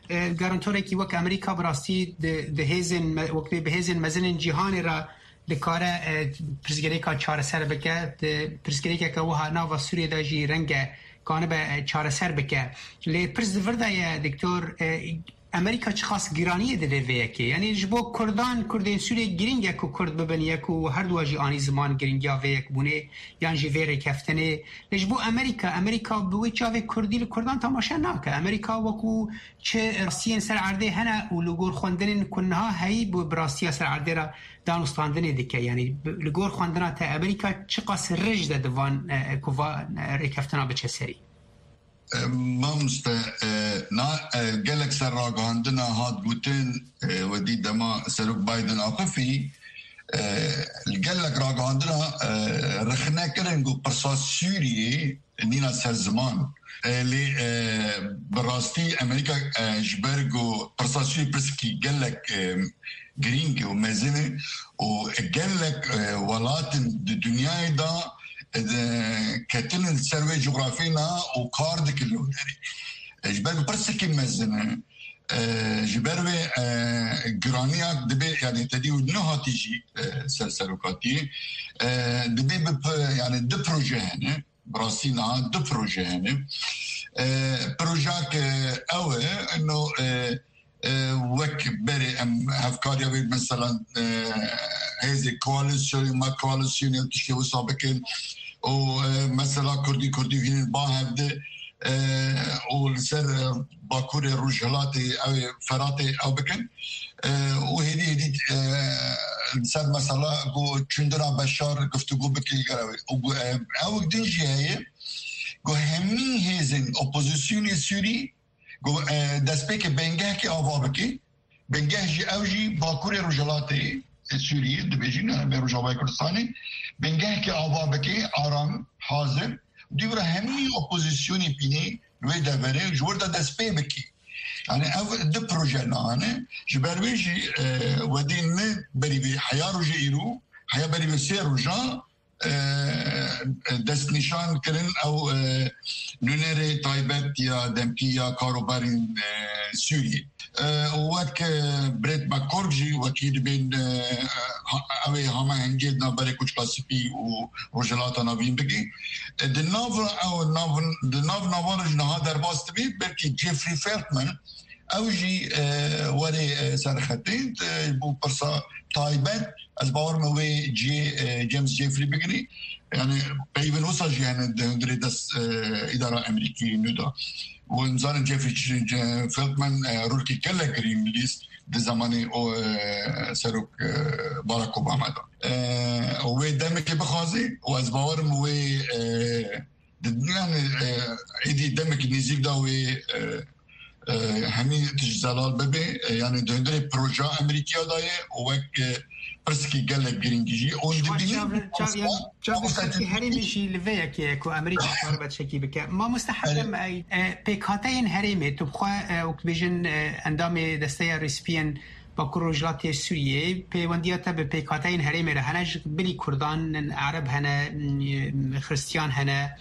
e, garantorekî wek Amerîka bi rastî di, di hêzên me-, wek bi hêzên mezinên cîhanê re dikare, e, pirsgirêka çareser bike, di pirsgirêkeke wiha nava Sûriyê de jî renge kanibe, e, çareser bike. Lê pirs di vir de ye, Doktor, e, Amerîka çiqas giraniyê dide vê yekê? Yanî ji bo Kurdan, Kurdên Sûriyê girîng e ku Kurd bibin yek û her duwa jî anî ziman girîngiya vê yekbûnê yan jî vê rêkeftinê. Lê ji bo Amerîka, Amerîka bi wê çavê Kurdî li Kurdan temaşe nake. Amerîka wekû çi rastiyên ser erdê hene û li gor xwendinên ku niha heyî bi, bi rastiya ser erdê re danûstandinê dike. Yanî bi, li gor xwendina te Amerîka çiqas rij de di van, e, ku va, e, rêkeftina biçe serî? E, mamoste, e, na, e, gelek ser ragihandina hat gotin, e, wedî dema Serok Biden axifî, e, li gelek ragihandina, e, rexne kirin ku pirsa Sûriyê nîna ser ziman. E, lê, e, bi rastî Amerîka, e, ji ber ku pirsa Sûriyê pirsekî gelek, e, girîng û mezin e û gelek, e, welatên di dinyayê de, e, de ketinin ser wê cografyê ne û kar dikin li wê derê. E, ji ber ku pirsekî mezin e, e, ji ber wê, e, giraniya dibe, yanî tedî û nehatî jî, e, ser serokatiyê, e, dibe bi p-, yanî du proje hene. Bi rastî niha du proje hene. E, Projak, e, ew e, ino, e, e, wek berê em hevkariya wê, mesela, e, hêzê koalîsyonê, ma koalîsyonê û tiştê wisa bikin û, e, mesela Kurdî, Kurdî hînin ba hevdi, e, û li ser, e, Bakurê Rojhilatê ew ê Feratê ew bikin. E, û hêdî hêdî, e, li ser mesela ku çûndina Beşar guftûgû bikin li gel ew ê. Û ku, e, ew din jî heye ku hemî hêzên opozîsyonê Sûrî ku, e, destpêkê bingehekê ava bike, bingeh jî ew jî Bakurê Rojhilatê Sûriyê dibêjin, em ê Rojavayê Kurdistanê, bingehekê ava bike, aram, hazir, dûvra hemî opozîsyonê pînê wê deverê ji wir de dest pê bike. Yani ev di proje nane, ji ber wê jî, e, wedî ne berî vê heya roje îro, heya berî vê sê roja, e, destnîşan kirin ew, e, nûnerê taybet ya demkî ya karobarên, e, Sûriyê. E, û wek, e, Brett McCork jî wekî dibên, e, ha-, ew ê hamahengê di navberê Koçka Spî û Rojhilata Navîn bike. E, di nav ew nav, di nav navan re jî niha derbas dibe, belkî Jeffrey Feltman, ew jî, e, were, e, ser xetê, e, bo pirsa taybet, ez bawer me wê cihê, e, James Jeffrey bigirî. Yani peyvên wisa jî hene di hundirê dest, e, îdara Amerîkî nû da. Û em zanin Jeffrey Ch-, Ch-, Feltman, e, rolkî gelek girîng lîst di zemanê o, e, serok, e, Barack Obama da. E, wê demekê bixwazê û ez bawerim wê, e, di, yani, e, êdî demekî nêzîk da wê, e, e, hemî tişt zelal bibe, e, yani di hundirê proja Amerîkiya da ye û wek, e, pirsîkî gelek girîng jî. Û Ji xwe dibînin çav-, çav-, yan çavê mamoste xelkê herêmê jî li vê yekê ye ku Amerîka karibe tiştekî bike. Mamoste Hatem, e, e, pêkhateyên herêmê, tu bi xwe, e, wek dibêjin, e, endamê Desteya Rêspiyên Bakur Rojhilatê Sûriyê, pêwendiya te bi pêkhateyên herêmê re hene, ji bilî Kurdan, Ereb hene, m, Xiristiyan hene,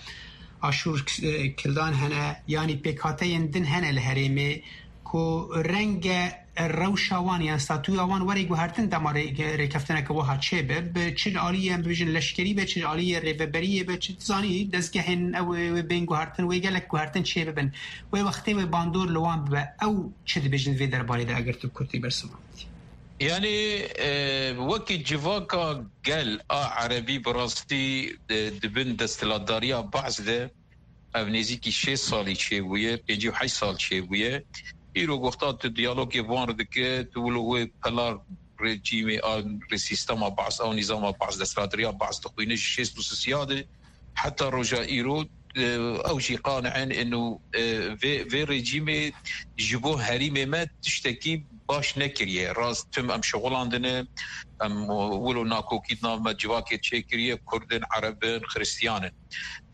Aşûr, e, Kildan hene, yanî pêkhateyên din hene li herêmê ku renge rewşa wan yan statûya wan were guhertin dema rê-, rêkeftineke wiha çêbe, bi çi aliyê em bibêjin leşkerî be, çi aliyê rêveberiyê be, çi zanî dezgehên ew ê bên guhertin, wê gelek guhertin çêbibin. Wê wextê wê bandor li wan bibe. Ew çi dibêjin vê derbarê de eger tu bi kurtî bersivan bidî? Yani, e, wekî civaka gel a Erebî bi rastî, e, di bin desthilatdariya Baas de ev nêzîkî şêst salî çêbûye, pêncî û heşt sal çêbûye. Îro wexta tu diyalogê van re dike, tu wilo wê pelar rejîmê a, rê sîstema Baas, a nîzama Baas, desthilatdariya Baas dixwîne ji şêst û sisiya de heta roja îro, e, ew jî qani'in ino, e, vê, vê rejîmê ji bo herîmê me tiştekî baş nekiriye. Rast tim em şixulandine, em wilo nakokî di nav me civakê çêkiriye, Kurd in, Ereb in, Xiristiyan in.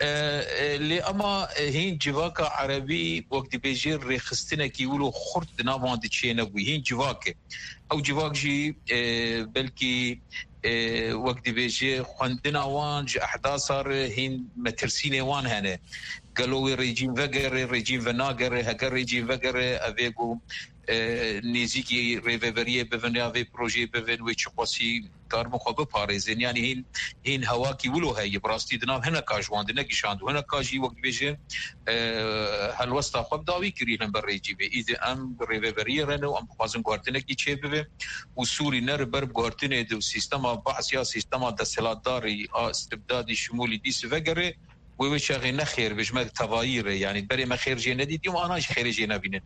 E, e, lê ema, e, hîn civaka Erebî wek dibêje rêxistinekî wilo xurt di nav wan de çênebû. Hîn civak e. Ew civak jî, e, belkî, e, wek dibêje xwendina wan ji ehdasa re hîn metirsînê wan hene. Gelo wê rejîm vegere, rejîm venagere, heger rejîm vegere, ev ê ku, e, nêzîkî rêveberiyê bibin ya vê projeyê bibin, wê çiqasî karibin xwe biparêzin. Yanî hîn, hîn hewakî wilo heye. Bi rastî di nav hineka ji wan de negişand û hineka jî wek dibêje, e, helwesta xwe bi dawî kirî li hember rejîmê. Îdî em bi rêveberiyê re ne û em dixwazin guhertinekî çêbibe û Sûrî ne li ber guhertinê de û sîstema Baas ya sîstema desthilatdarî a istibdadî şimûlî dîs vegere, wê wê çaxê ne xêr be ji me tevayî re, yanî berê me xêr jê nedîtî û ana jî xêrê jê nebînin.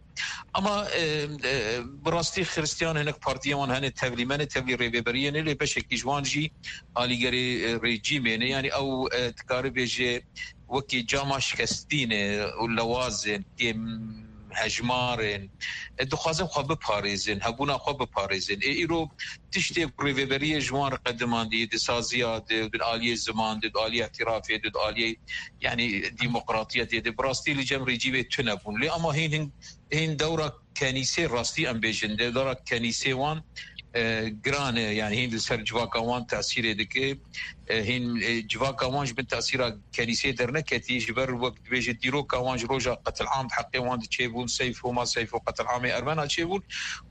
Ama, e, e, bi rastî Xiristiyan hinek partiyên wan hene tevlî me ne, tevlî rêveberiyê ne, lê beşekî ji wan jî alîgerê, e, rejîmê ne. Yanî ew, e, dikare bêje wekî cama şikestî ne û lewazên kêm hejmarên, e, dixwazin xwe biparêzin, hebûna xwe biparêzin. Ê îro tiştê ku rêveberiyê ji wan re qedimandiye di saziya de, di aliyê ziman de, di aliyê îtirafê de, di aliyê, yanî, demokratiyetê de, bi rastî li cem rejîmê tune bûn. Lê ama hîn, hîn, hîn dewra kenîsê rastî em bêjin, de dewra kenîsê wan, e, giran e, yanî hîn li ser civaka wan tesîrê dike. E, hîn, e, civaka wan ji bin tesîra kenîsê derneketî, ji ber wek dibêje dîroka wan ji roja qetilam di heqê wan de çêbûn, Seyfo, ma Seyfo, qetilamê Ermena çêbûn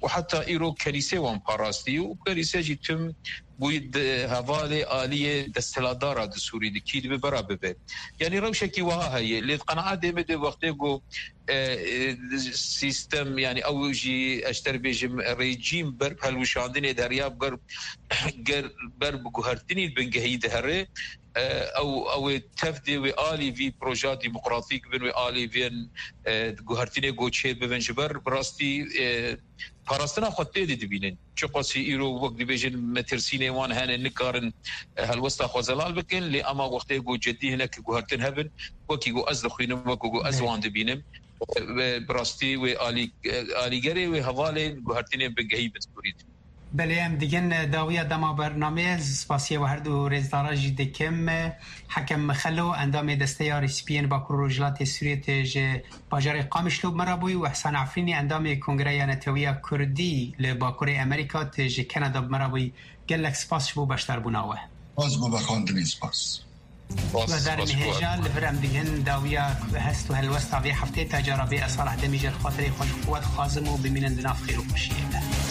û heta îro kenîsê wan parastî û kenîse jî tim bûyî di hevalê aliyê desthilatdara di Sûrî di kî dibe bera bibe. Yanî rewşekî wiha heye. Lê di qenaetê me de wextê ku, e, e, sîstem, yanî ew jî ez ter bêjim rejîm ber bi helwişandinê deriya ber, ger, ber bi guhertinî bingehî dihere, e, ew, ew ê tev dê wê alî vî proja demokratîk bin, wê alî vên, e, guhertinê goçê bibin ji ber bi rastî, e, parastina xwe tê de dibînin. Çiqasî îro wek dibêjin metirsînê wan hene nikarin, e, helwesta xwe zelal bikin, lê ema wextê ku cedî hinek guhertin hebin, wekî ku ez dixwînim, wekî ku ez Belê. wan dibînim, e, bi rastî wê alî-, e, alîgerê wê hevalên guhertinên bingehî bin Sûrî dibînin. Belê, em digin dawiya dema bernameyê, ez spasiya we her du rêzdara jî dikim. Hekem Mixelo, endamê Desteya Rêspiyên Bakur Rojhilatê Sûriyê, tê ji bajarê Qamişlo bi me re bûyî, û Ehsan Efrînî, endamê Kongreya Netewiya Kurdî li Bakurê Amerîka, tê ji Kanada bi me re bûyî. Gelek spas ji bo beşdarbûna we. Spas bo vexwendinê, spas. Guhdarên hêja, li vir em digihên dawiya hest û helwesta vê heftê, ta cara bê ez Salah Demî ji xatirê xwe ji xwe dixwazim û bimînin di nav xêr û xweşiyê de.